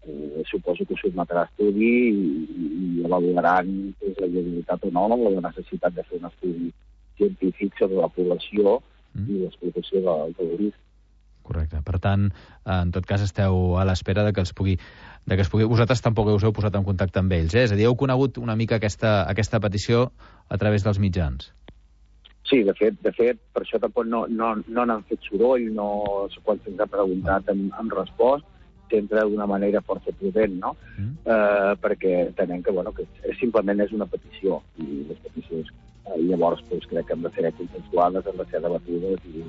eh, suposo que sotmetrà a estudi i, i avaluaran pues, la viabilitat o no, la necessitat de fer un estudi científic sobre la població mm. i l'explotació del, del risc. Correcte. Per tant, en tot cas, esteu a l'espera de que els pugui... de que es pugui... Vosaltres tampoc us heu posat en contacte amb ells, eh? És a dir, heu conegut una mica aquesta, aquesta petició a través dels mitjans. Sí, de fet, de fet per això tampoc no, no, no n'han fet soroll, no, quan se'ns ha preguntat hem, hem respost, sempre d'una manera força prudent, no? Mm. Eh, perquè entenem que, bueno, que és, simplement és una petició, i les peticions eh, llavors pues, crec que han de ser consensuades, han de ser debatudes i,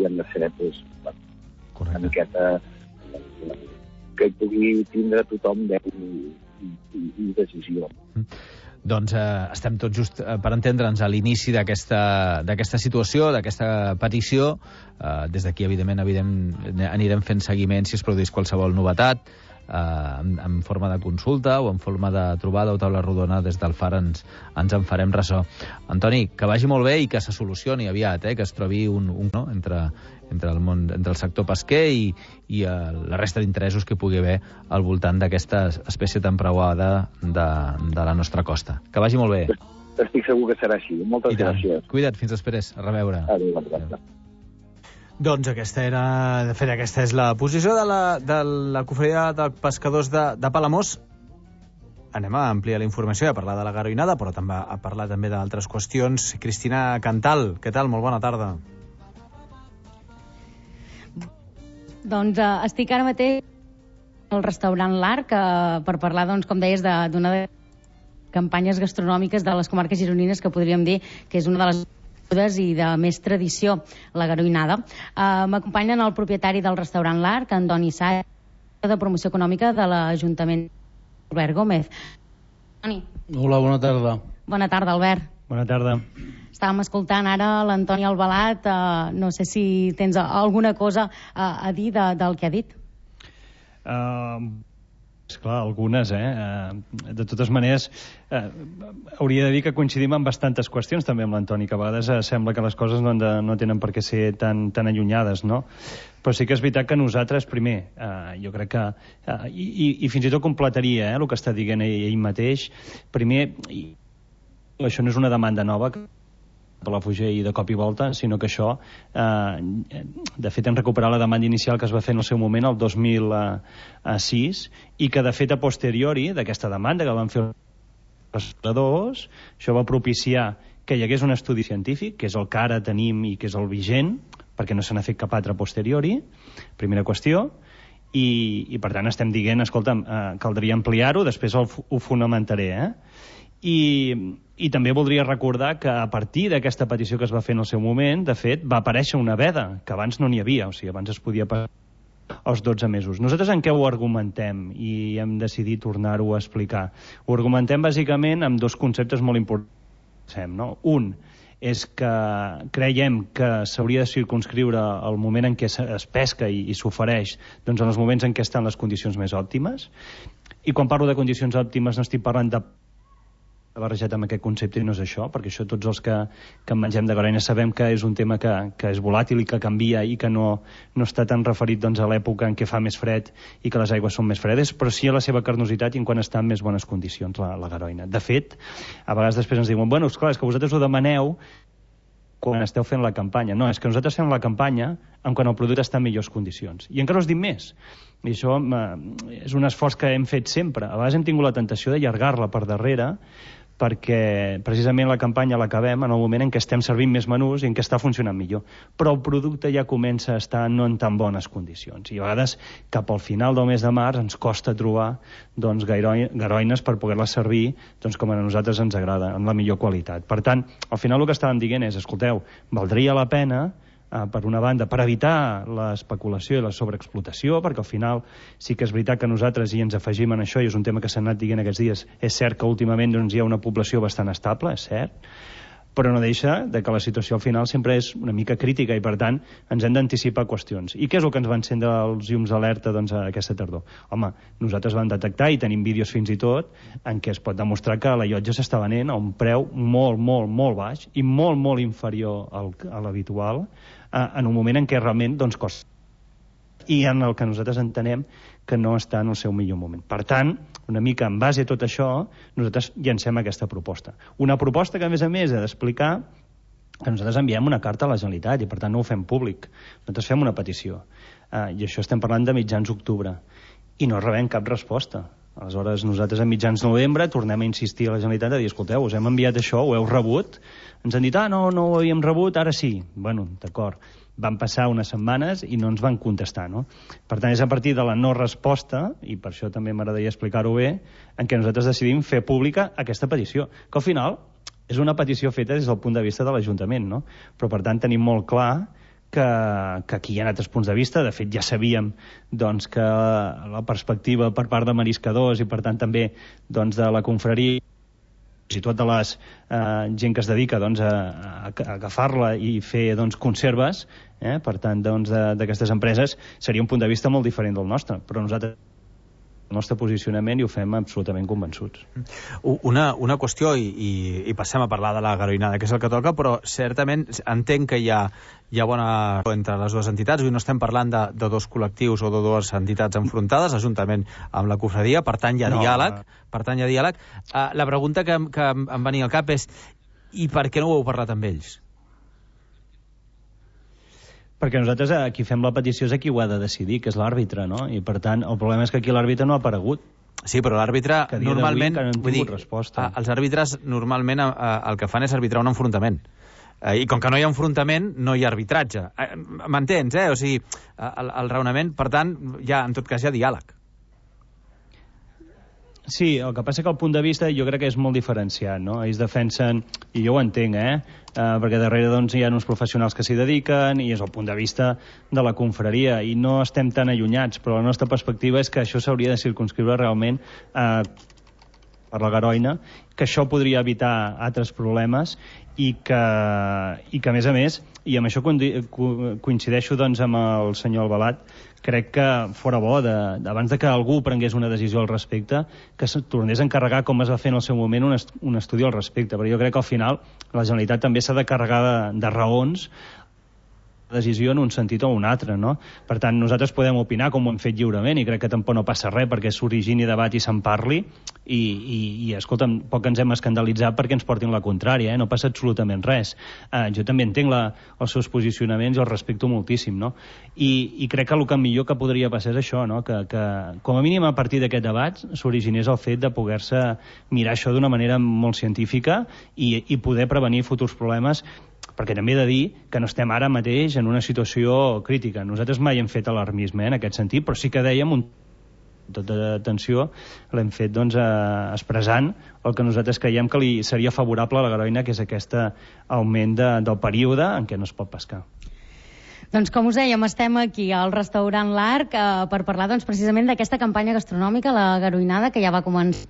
i han de ser pues, bueno, una miqueta eh, que hi pugui tindre tothom veu i, i, i decisió. Mm. Doncs eh, estem tots just eh, per entendre'ns a l'inici d'aquesta situació, d'aquesta petició. Eh, des d'aquí, evidentment, evident, anirem fent seguiment si es produeix qualsevol novetat, eh, en, en forma de consulta o en forma de trobada o taula rodona. Des del Far ens, ens en farem ressò. Antoni, que vagi molt bé i que se solucioni aviat, eh, que es trobi un, un no? entre, entre, el món, entre el sector pesquer i, i eh, la resta d'interessos que pugui haver al voltant d'aquesta espècie tan preuada de, de la nostra costa. Que vagi molt bé. Estic segur que serà així. Moltes gràcies. Cuida't, fins després. A reveure. Adéu, adéu. Doncs aquesta era, de fet, aquesta és la posició de la, de la Confraria de Pescadors de, de Palamós. Anem a ampliar la informació i a parlar de la garoinada, però també a parlar també d'altres qüestions. Cristina Cantal, què tal? Molt bona tarda. Doncs uh, estic ara mateix al restaurant L'Arc uh, per parlar, doncs, com deies, d'una de, de campanyes gastronòmiques de les comarques gironines que podríem dir que és una de les bodes i de més tradició, la garoinada. Uh, M'acompanyen el propietari del restaurant L'Arc, Antoni Sá, de promoció econòmica de l'Ajuntament, Albert Gómez. Antoni. Hola, bona tarda. Bona tarda, Albert. Bona tarda. Estàvem escoltant ara l'Antoni Albalat, uh, no sé si tens alguna cosa uh, a dir de, del que ha dit. Uh, esclar, algunes, eh? Uh, de totes maneres, uh, hauria de dir que coincidim en bastantes qüestions també amb l'Antoni, que a vegades uh, sembla que les coses no, de, no tenen per què ser tan, tan allunyades, no? Però sí que és veritat que nosaltres, primer, uh, jo crec que, uh, i, i, i fins i tot completaria eh, el que està dient ell, ell mateix, primer, i, això no és una demanda nova que Palafrugell i de cop i volta, sinó que això, eh, de fet, hem recuperat la demanda inicial que es va fer en el seu moment, el dos mil sis, i que, de fet, a posteriori d'aquesta demanda que van fer els pescadors, això va propiciar que hi hagués un estudi científic, que és el que ara tenim i que és el vigent, perquè no se n'ha fet cap altre a posteriori, primera qüestió, i, i per tant estem dient, escolta'm, eh, caldria ampliar-ho, després el, ho fonamentaré, eh? I, i també voldria recordar que a partir d'aquesta petició que es va fer en el seu moment, de fet, va aparèixer una veda, que abans no n'hi havia, o sigui, abans es podia passar els dotze mesos. Nosaltres en què ho argumentem i hem decidit tornar-ho a explicar? Ho argumentem bàsicament amb dos conceptes molt importants, no? Un és que creiem que s'hauria de circunscriure el moment en què es pesca i, i s'ofereix, doncs en els moments en què estan les condicions més òptimes. I quan parlo de condicions òptimes no estic parlant de barrejat amb aquest concepte i no és això, perquè això tots els que, que mengem de garoina sabem que és un tema que, que és volàtil i que canvia i que no, no està tan referit doncs, a l'època en què fa més fred i que les aigües són més fredes, però sí a la seva carnositat i en quan està en més bones condicions la, la garoina. De fet, a vegades després ens diuen, bueno, esclar, és que vosaltres ho demaneu quan esteu fent la campanya. No, és que nosaltres fem la campanya en quan el producte està en millors condicions. I encara us dic més. I això eh, és un esforç que hem fet sempre. A vegades hem tingut la tentació d'allargar-la per darrere perquè precisament la campanya l'acabem en el moment en què estem servint més menús i en què està funcionant millor. Però el producte ja comença a estar no en tan bones condicions. I a vegades, cap al final del mes de març, ens costa trobar doncs, garoines per poder-les servir doncs, com a nosaltres ens agrada, amb la millor qualitat. Per tant, al final el que estàvem dient és, escolteu, valdria la pena per una banda, per evitar l'especulació i la sobreexplotació, perquè al final sí que és veritat que nosaltres hi ens afegim en això, i és un tema que s'ha anat dient aquests dies, és cert que últimament doncs, hi ha una població bastant estable, és cert, però no deixa de que la situació al final sempre és una mica crítica i, per tant, ens hem d'anticipar qüestions. I què és el que ens va encendre els llums d'alerta doncs, aquesta tardor? Home, nosaltres vam detectar, i tenim vídeos fins i tot, en què es pot demostrar que la llotja s'està venent a un preu molt, molt, molt baix i molt, molt inferior al, a l'habitual, en un moment en què realment doncs, costa. I en el que nosaltres entenem que no està en el seu millor moment. Per tant, una mica en base a tot això, nosaltres llancem aquesta proposta. Una proposta que, a més a més, ha d'explicar que nosaltres enviem una carta a la Generalitat i, per tant, no ho fem públic. Nosaltres fem una petició. Uh, I això estem parlant de mitjans octubre. I no rebem cap resposta. Aleshores, nosaltres a mitjans novembre tornem a insistir a la Generalitat a dir, escolteu, us hem enviat això, ho heu rebut? Ens han dit, ah, no, no ho havíem rebut, ara sí. Bueno, d'acord. Van passar unes setmanes i no ens van contestar, no? Per tant, és a partir de la no resposta, i per això també m'agradaria explicar-ho bé, en què nosaltres decidim fer pública aquesta petició, que al final és una petició feta des del punt de vista de l'Ajuntament, no? Però, per tant, tenim molt clar que, que aquí hi ha altres punts de vista. De fet, ja sabíem doncs, que la perspectiva per part de mariscadors i, per tant, també doncs, de la confraria i tot de les eh, gent que es dedica doncs, a, a, a agafar-la i fer doncs, conserves, eh, per tant, doncs, d'aquestes empreses, seria un punt de vista molt diferent del nostre, però nosaltres el nostre posicionament i ho fem absolutament convençuts. Una, una qüestió, i, i, i passem a parlar de la garoinada, que és el que toca, però certament entenc que hi ha, hi ha bona entre les dues entitats. Avui no estem parlant de, de dos col·lectius o de dues entitats enfrontades, juntament amb la cofradia, per tant hi ha no, diàleg. Per tant hi ha diàleg. Uh, la pregunta que, que em venia al cap és, i per què no ho heu parlat amb ells? Perquè nosaltres aquí fem la petició és a qui ho ha de decidir, que és l'àrbitre, no? I per tant el problema és que aquí l'àrbitre no ha aparegut. Sí, però l'àrbitre normalment... No vull dir, resposta. Els àrbitres normalment a, a, el que fan és arbitrar un enfrontament. Eh, I com que no hi ha enfrontament, no hi ha arbitratge. Eh, M'entens, eh? O sigui, el, el raonament, per tant, ja, en tot cas, hi ha diàleg. Sí, el que passa que el punt de vista jo crec que és molt diferenciat, no? Ells defensen, i jo ho entenc, eh? Uh, perquè darrere doncs, hi ha uns professionals que s'hi dediquen i és el punt de vista de la confraria i no estem tan allunyats, però la nostra perspectiva és que això s'hauria de circunscriure realment uh, per la garoina, que això podria evitar altres problemes i que, i que a més a més, i amb això coincideixo doncs, amb el senyor Albalat, crec que fora bo, de, abans de que algú prengués una decisió al respecte, que es tornés a encarregar, com es va fer en el seu moment, un, est un estudi al respecte. Però jo crec que al final la Generalitat també s'ha de carregar de, de raons decisió en un sentit o un altre, no? Per tant, nosaltres podem opinar com ho hem fet lliurement i crec que tampoc no passa res perquè s'origini debat i se'n parli i, i, i escolta'm, poc ens hem escandalitzat perquè ens portin la contrària, eh? No passa absolutament res. Uh, jo també entenc la, els seus posicionaments i els respecto moltíssim, no? I, i crec que el que millor que podria passar és això, no? Que, que com a mínim a partir d'aquest debat s'originés el fet de poder-se mirar això d'una manera molt científica i, i poder prevenir futurs problemes, perquè també he de dir que no estem ara mateix en una situació crítica. Nosaltres mai hem fet alarmisme eh, en aquest sentit, però sí que dèiem un tota atenció, l'hem fet doncs, eh, expressant el que nosaltres creiem que li seria favorable a la Garoina, que és aquest augment de, del període en què no es pot pescar. Doncs com us dèiem, estem aquí al restaurant L'Arc eh, per parlar doncs, precisament d'aquesta campanya gastronòmica, la Garoinada, que ja va començar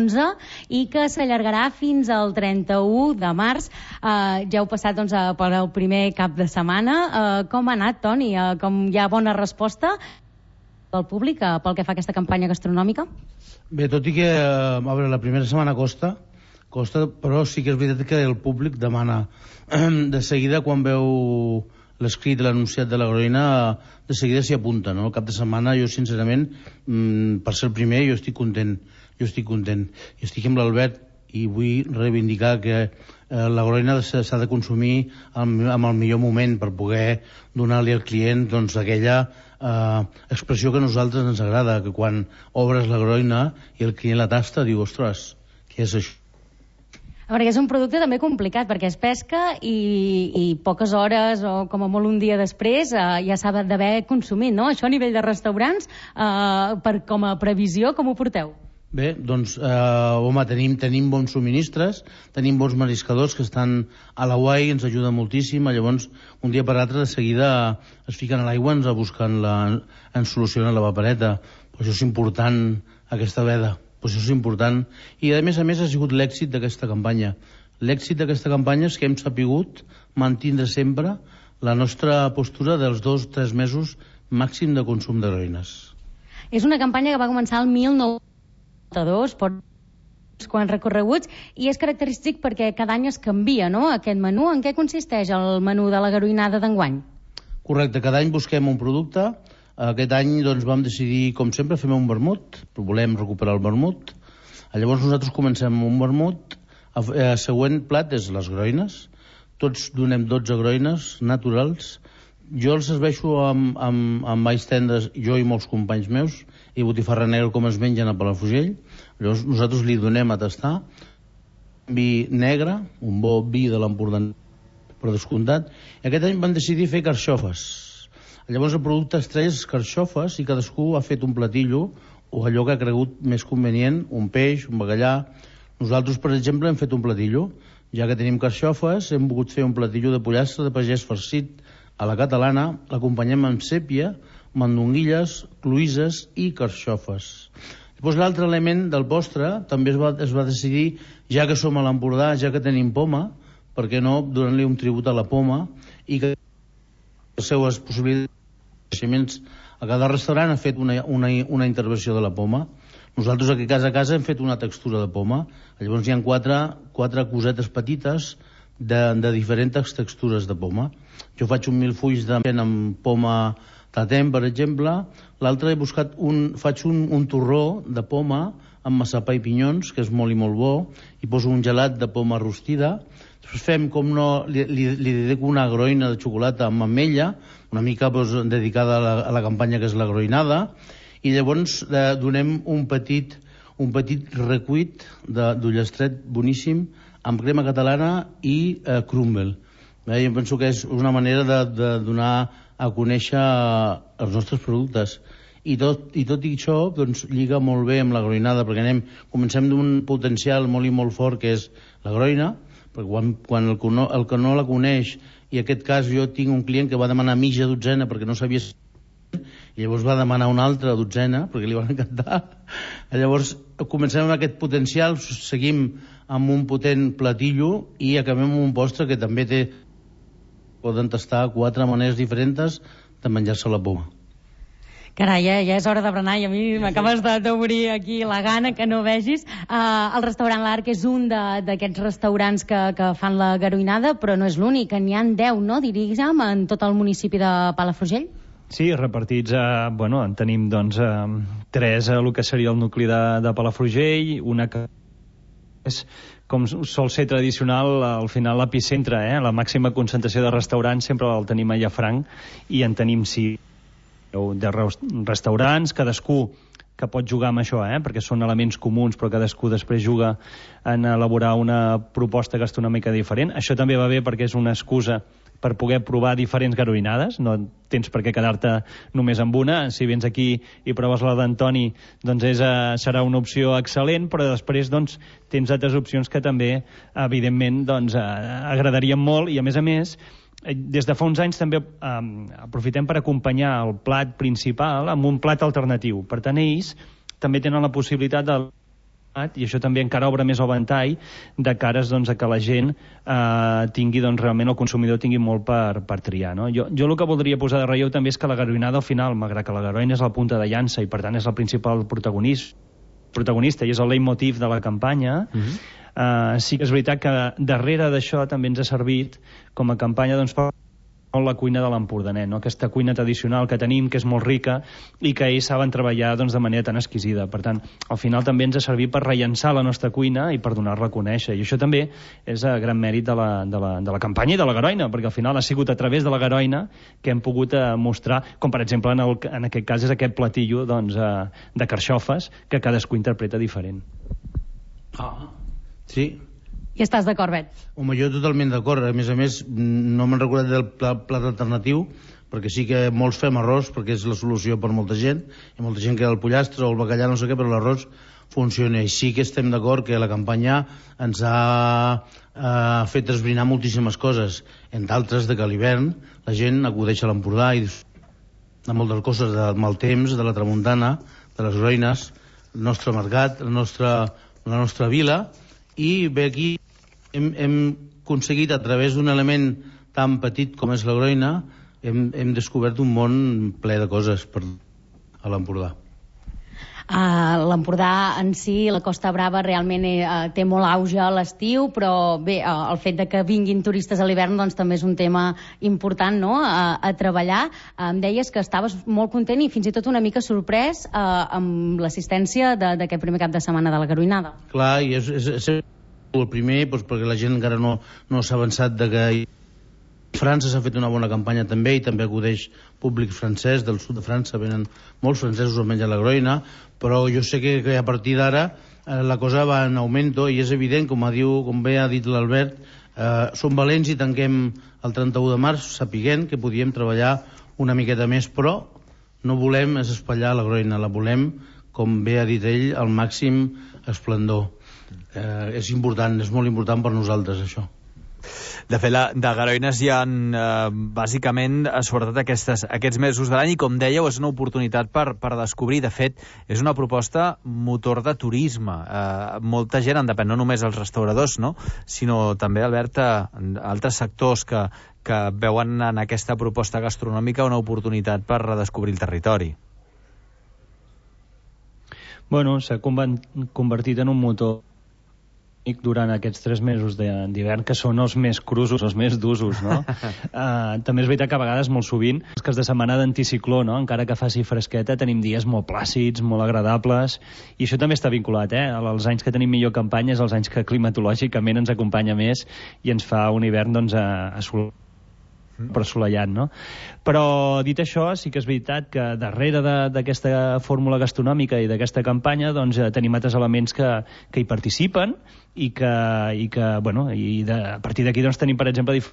onze i que s'allargarà fins al trenta-u de març. Eh, ja heu passat doncs, per el primer cap de setmana. Eh, com ha anat, Toni? Eh, com hi ha bona resposta del públic eh, pel que fa a aquesta campanya gastronòmica? Bé, tot i que a veure, la primera setmana costa, costa, però sí que és veritat que el públic demana. De seguida, quan veu l'escrit de l'anunciat de la Garoina, de seguida s'hi apunta, no? El cap de setmana, jo sincerament, per ser el primer, jo estic content. Jo estic content. I estic amb l'Albert i vull reivindicar que eh, la Garoina s'ha de consumir amb, amb el millor moment per poder donar-li al client doncs, aquella eh, expressió que a nosaltres ens agrada, que quan obres la Garoina i el client la tasta diu, ostres, què és això? A veure, és un producte també complicat perquè es pesca i, i poques hores o com a molt un dia després eh, ja s'ha d'haver consumit, no? Això a nivell de restaurants, eh, per, com a previsió, com ho porteu? Bé, doncs, eh, home, tenim, tenim bons subministres, tenim bons mariscadors que estan a la guai, ens ajuda moltíssim, llavors, un dia per l'altre, de seguida es fiquen a l'aigua, ens busquen la, ens solucionen la papereta. Però això és important, aquesta veda, però això és important. I, a més a més, ha sigut l'èxit d'aquesta campanya. L'èxit d'aquesta campanya és que hem sapigut mantindre sempre la nostra postura dels dos o tres mesos màxim de consum de garoines. És una campanya que va començar el mil nou-cents dos, per quants recorreguts, i és característic perquè cada any es canvia, no?, aquest menú. En què consisteix el menú de la Garoinada d'enguany? Correcte, cada any busquem un producte. Aquest any doncs, vam decidir, com sempre, fer un vermut, volem recuperar el vermut. Llavors nosaltres comencem amb un vermut. El següent plat és les groines. Tots donem dotze groines naturals. Jo els serveixo amb, amb, amb alls tendres, jo i molts companys meus, i botifarra negra com es mengen a Palafrugell. Llavors nosaltres li donem a tastar vi negre, un bo vi de l'Empordà per descomptat, i aquest any van decidir fer carxofes. Llavors el producte estrella és carxofes i cadascú ha fet un platillo o allò que ha cregut més convenient, un peix, un bacallà. Nosaltres, per exemple, hem fet un platillo. Ja que tenim carxofes, hem volgut fer un platillo de pollastre de pagès farcit a la catalana, l'acompanyem amb sèpia, mandonguilles, cloïsses i carxofes. Després l'altre element del postre també es va, es va decidir, ja que som a l'Empordà, ja que tenim poma, per què no donar-li un tribut a la poma i que les seues possibilitats a cada restaurant ha fet una, una, una intervenció de la poma. Nosaltres aquí a casa a casa hem fet una textura de poma. Llavors hi ha quatre, quatre cosetes petites de, de diferents textures de poma. Jo faig un mil fulls de amb poma tatem, per exemple. L'altre he buscat un, faig un, un torró de poma amb massapà i pinyons, que és molt i molt bo, i poso un gelat de poma rostida. Després fem, com no, li, li, li dedico una groina de xocolata amb ametlla, una mica doncs, dedicada a la, a la campanya que és la groinada, i llavors eh, donem un petit, un petit recuit d'ullastret boníssim amb crema catalana i eh, crumble. Eh, jo penso que és una manera de, de donar a conèixer els nostres productes. I tot, i tot i això doncs, lliga molt bé amb la groinada, perquè anem, comencem d'un potencial molt i molt fort que és la groina, perquè quan, quan el, que no, el que no la coneix, i en aquest cas jo tinc un client que va demanar mitja dotzena perquè no sabia, i llavors va demanar una altra dotzena perquè li van encantar. Llavors comencem amb aquest potencial, seguim amb un potent platillo i acabem amb un postre que també té, poden tastar quatre maneres diferents de menjar-se la poma. Carai, ja, ja és hora de berenar i a mi m'acabes d'obrir aquí la gana que no vegis. Uh, el restaurant L'Arc és un d'aquests restaurants que, que fan la garoinada, però no és l'únic, n'hi ha deu, no, diríem, en tot el municipi de Palafrugell? Sí, repartits, eh, bueno, en tenim doncs eh, tres a el que seria el nucli de, de Palafrugell, una que és, com sol ser tradicional, al final l'epicentre, eh? La màxima concentració de restaurants sempre el tenim a Llafranc, i en tenim sí de restaurants, cadascú que pot jugar amb això, eh? perquè són elements comuns, però cadascú després juga en elaborar una proposta gastronòmica diferent. Això també va bé perquè és una excusa per poder provar diferents garoinades, no tens per què quedar-te només amb una. Si vens aquí i proves la d'Antoni, doncs és, uh, serà una opció excel·lent, però després doncs, tens altres opcions que també, evidentment, doncs, uh, agradarien molt, i a més a més, des de fa uns anys també um, aprofitem per acompanyar el plat principal amb un plat alternatiu. Per tant, ells també tenen la possibilitat de i això també encara obre més el ventall de cares doncs, a que la gent eh, tingui, doncs, realment el consumidor tingui molt per, per triar. No? Jo, jo el que voldria posar de relleu també és que la garoinada al final, malgrat que la garoina és la punta de llança i per tant és el principal protagonista, protagonista i és el leitmotiv de la campanya, uh-huh. eh, sí que és veritat que darrere d'això també ens ha servit com a campanya doncs, per la cuina de l'Empordanet, no? Aquesta cuina tradicional que tenim, que és molt rica i que ells saben treballar doncs, de manera tan exquisida. Per tant, al final també ens ha servit per rellençar la nostra cuina i per donar-la a conèixer. I això també és a gran mèrit de la, de, la, de la campanya i de la garoina, perquè al final ha sigut a través de la garoina que hem pogut eh, mostrar, com per exemple en, el, en aquest cas és aquest platillo doncs, eh, de carxofes que cadascú interpreta diferent. Ah, sí. I estàs d'acord, Bet? Home, jo totalment d'acord. A més a més, no me'n recordat del plat, plat alternatiu, perquè sí que molts fem arròs, perquè és la solució per molta gent. Hi ha molta gent que el pollastre o el bacallà, no sé què, però l'arròs funciona. I sí que estem d'acord que la campanya ens ha eh, fet esbrinar moltíssimes coses, entre altres de que a l'hivern la gent acudeix a l'Empordà i de moltes coses, del mal temps, de la tramuntana, de les garoines, el nostre mercat, la nostra, la nostra vila, i bé, aquí hem, hem aconseguit a través d'un element tan petit com és la garoina, hem, hem descobert un món ple de coses per, a l'Empordà. Uh, L'Empordà en si, la Costa Brava, realment uh, té molt auge a l'estiu, però bé, uh, el fet de que vinguin turistes a l'hivern doncs, també és un tema important, no?, uh, a treballar. Uh, em deies que estaves molt content i fins i tot una mica sorprès uh, amb l'assistència d'aquest primer cap de setmana de la garoinada. Clar, i és, és, és el primer, doncs, perquè la gent encara no, no s'ha avançat de que França s'ha fet una bona campanya també, i també acudeix públic francès, del sud de França venen molts francesos a menjar la garoina, però jo sé que, que a partir d'ara eh, la cosa va en augmento, i és evident, com, a diu, com bé ha dit l'Albert, eh, som valents i tanquem el trenta-u de març sapiguent que podíem treballar una miqueta més, però no volem espatllar la garoina, la volem, com bé ha dit ell, al màxim esplendor. Eh, és important, és molt important per nosaltres això. De fet, la, de garoines hi ha, eh, bàsicament, sobretot aquestes, aquests mesos de l'any, i com dèieu, és una oportunitat per, per descobrir. De fet, és una proposta motor de turisme. Eh, molta gent en depèn, no només els restauradors, no?, sinó també, Albert, altres sectors que, que veuen en aquesta proposta gastronòmica una oportunitat per redescobrir el territori. Bueno, s'ha convertit en un motor durant aquests tres mesos d'hivern, que són els més crusos, els més d'usos, no? uh, també és veritat que a vegades, molt sovint, els cas de setmana d'anticicló, no?, encara que faci fresqueta, tenim dies molt plàcids, molt agradables, i això també està vinculat, eh? Els anys que tenim millor campanya és els anys que climatològicament ens acompanya més i ens fa un hivern, doncs, a, a sol... per assolellat, no? Però, dit això, sí que és veritat que darrere d'aquesta fórmula gastronòmica i d'aquesta campanya, doncs, tenim altres elements que, que hi participen i que, i que bueno, i de, a partir d'aquí, doncs, tenim, per exemple, dif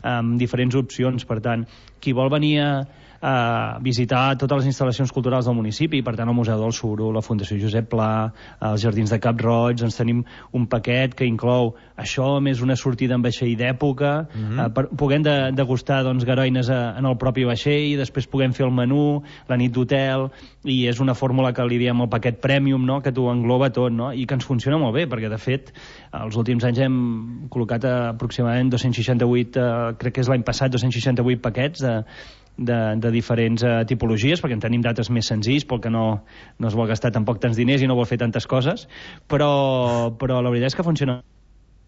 amb diferents opcions. Per tant, qui vol venir a, a visitar totes les instal·lacions culturals del municipi, per tant, el Museu del Suro, la Fundació Josep Pla, els Jardins de Cap Roig, doncs tenim un paquet que inclou això, més una sortida en vaixell d'època, mm-hmm. eh, per, puguem de, degustar, doncs, garoines a, en el propi vaixell, després puguem fer el menú, la nit d'hotel, i és una fórmula que li diem el paquet Premium, no?, que t'ho engloba tot, no?, i que ens funciona molt bé, perquè, de fet, els últims anys hem col·locat aproximadament dos-cents seixanta-vuit, eh, crec que és l'any passat, dos-cents seixanta-vuit paquets de De, de diferents uh, tipologies, perquè en tenim dates més senzills, perquè no, no es vol gastar tampoc tants diners i no vol fer tantes coses, però, però la veritat és que funciona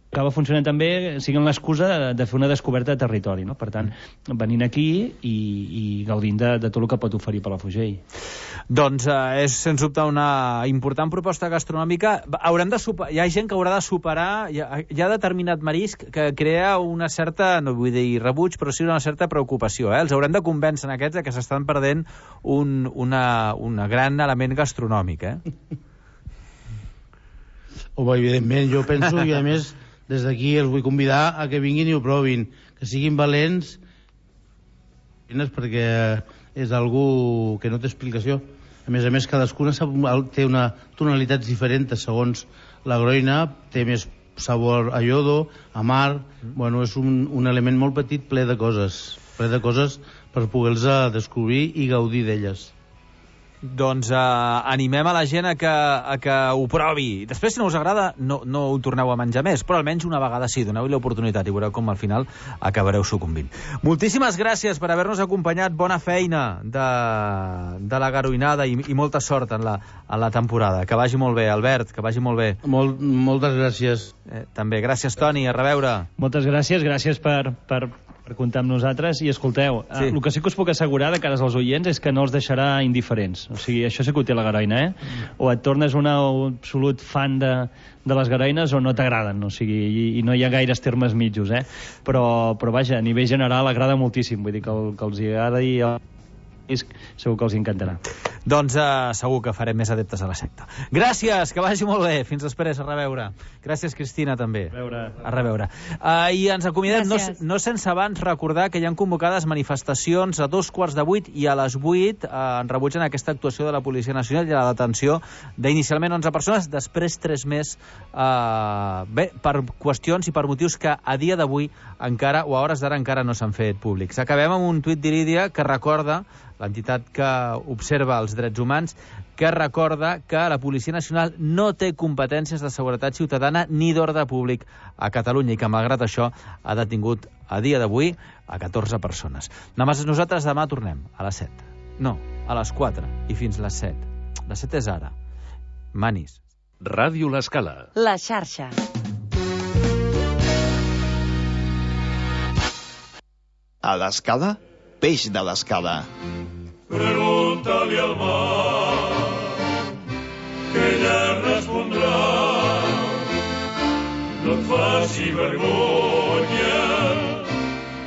acaba funcionant també, siguin l'excusa de, de fer una descoberta de territori, no? Per tant, venint aquí i, i gaudint de, de tot el que pot oferir Palafrugell. Doncs eh, és, sens dubte, una important proposta gastronòmica. Haurem de super... Hi ha gent que haurà de superar... Hi ha, hi ha determinat marisc que crea una certa, no vull dir rebuig, però sí una certa preocupació. Eh? Els haurem de convèncer en aquests que s'estan perdent un una, una gran element gastronòmic. Eh? Home, evidentment, jo penso, i a més... Des d'aquí els vull convidar a que vinguin i ho provin, que siguin valents, perquè és algú que no té explicació. A més a més, cadascuna té una tonalitats diferents segons la groina, té més sabor a iodo, a mar... Bueno, és un, un element molt petit ple de coses, ple de coses per poder-los descobrir i gaudir d'elles. Doncs eh, animem a la gent a que, a que ho provi. Després, si no us agrada, no, no ho torneu a menjar més, però almenys una vegada sí, doneu-hi l'oportunitat i veureu com al final acabareu sucumbint. Moltíssimes gràcies per haver-nos acompanyat. Bona feina de, de la garoinada i, i molta sort en la, en la temporada. Que vagi molt bé, Albert, que vagi molt bé. Molt, moltes gràcies. Eh, també. Gràcies, Toni. A reveure. Moltes gràcies. Gràcies per... per... per comptar amb nosaltres, i escolteu, sí. eh, el que sí que us puc assegurar de cares als oients és que no els deixarà indiferents, o sigui, això sí que ho té la garoina, eh? Mm. O et tornes un absolut fan de, de les garoines o no t'agraden, o sigui, i, i no hi ha gaires termes mitjos, eh? Però, però vaja, a nivell general agrada moltíssim, vull dir que, el, que els agrada i el... segur que els encantarà. Doncs uh, segur que farem més adeptes a la secta. Gràcies, que vagi molt bé. Fins després, a reveure. Gràcies, Cristina, també. A reveure. A reveure. Uh, I ens acomiadem, no, no sense abans recordar que hi ha convocades manifestacions a dos quarts de vuit i a les vuit uh, en rebutgen aquesta actuació de la Policia Nacional i la detenció d'inicialment onze persones, després tres més, uh, bé, per qüestions i per motius que a dia d'avui encara, o a hores d'ara encara no s'han fet públics. Acabem amb un tuit d'Irídia que recorda, l'entitat que observa els drets humans, que recorda que la Policia Nacional no té competències de seguretat ciutadana ni d'ordre públic a Catalunya i que, malgrat això, ha detingut a dia d'avui a catorze persones. Nosaltres demà tornem a les set. No, a les quatre i fins les set. Les set és ara. Manis. Ràdio L'Escala. La xarxa. A l'Escala, peix de l'Escala. Pregunta-li al mar, que ella respondrà. No et faci vergonya,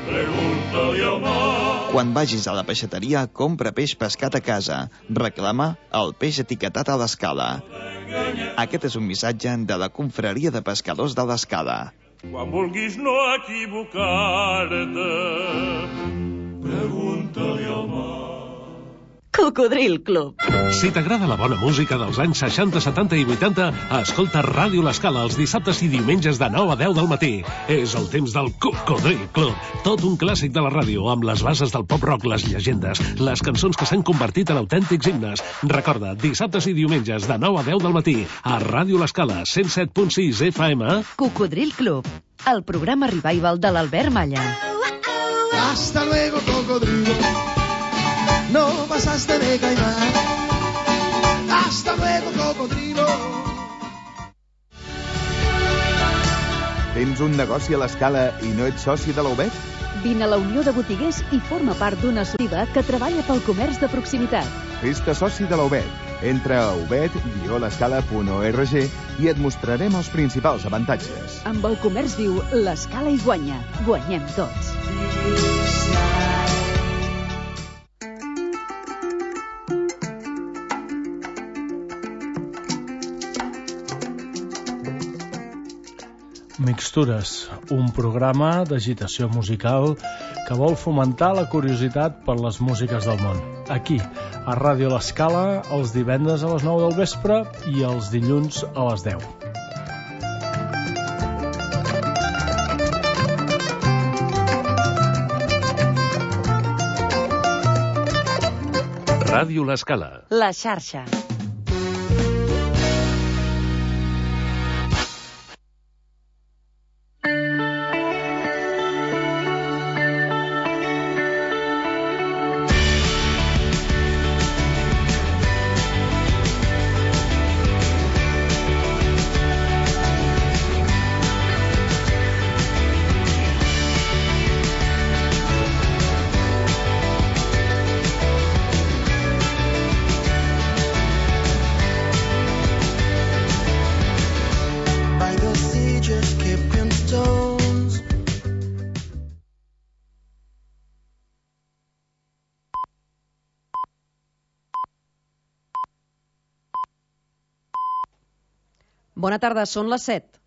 pregunta-li al mar. Quan vagis a la peixateria, compra peix pescat a casa. Reclama el peix etiquetat a l'Escala. Aquest és un missatge de la Confraria de Pescadors de l'Escala. Quan vulguis no equivocar-te, pregunta-li al mar. Cocodril Club. Si t'agrada la bona música dels anys seixanta, setanta i vuitanta, escolta Ràdio L'Escala els dissabtes i diumenges de nou a deu del matí. És el temps del Cocodril Club. Tot un clàssic de la ràdio, amb les bases del pop-rock, les llegendes, les cançons que s'han convertit en autèntics himnes. Recorda, dissabtes i diumenges de nou a deu del matí, a Ràdio L'Escala, cent set punt sis F M. Cocodril Club, el programa revival de l'Albert Malla. Hasta luego, cocodrilo. No pasaste de caimán. Hasta luego, cocodrilo. Tens un negoci a l'Escala i no ets soci de la U B E T? Vine a la Unió de Botiguers i forma part d'una associativa que treballa pel comerç de proximitat. Fes-te soci de la U B E T. Entra a ubet guió l'escala punt org i et mostrarem els principals avantatges. Amb el comerç viu, l'Escala hi guanya. Guanyem tots. Mixtures, un programa d'agitació musical que vol fomentar la curiositat per les músiques del món. Aquí, a Ràdio L'Escala, els divendres a les nou del vespre i els dilluns a les deu. Ràdio L'Escala. La xarxa. Bona tarda, són les set.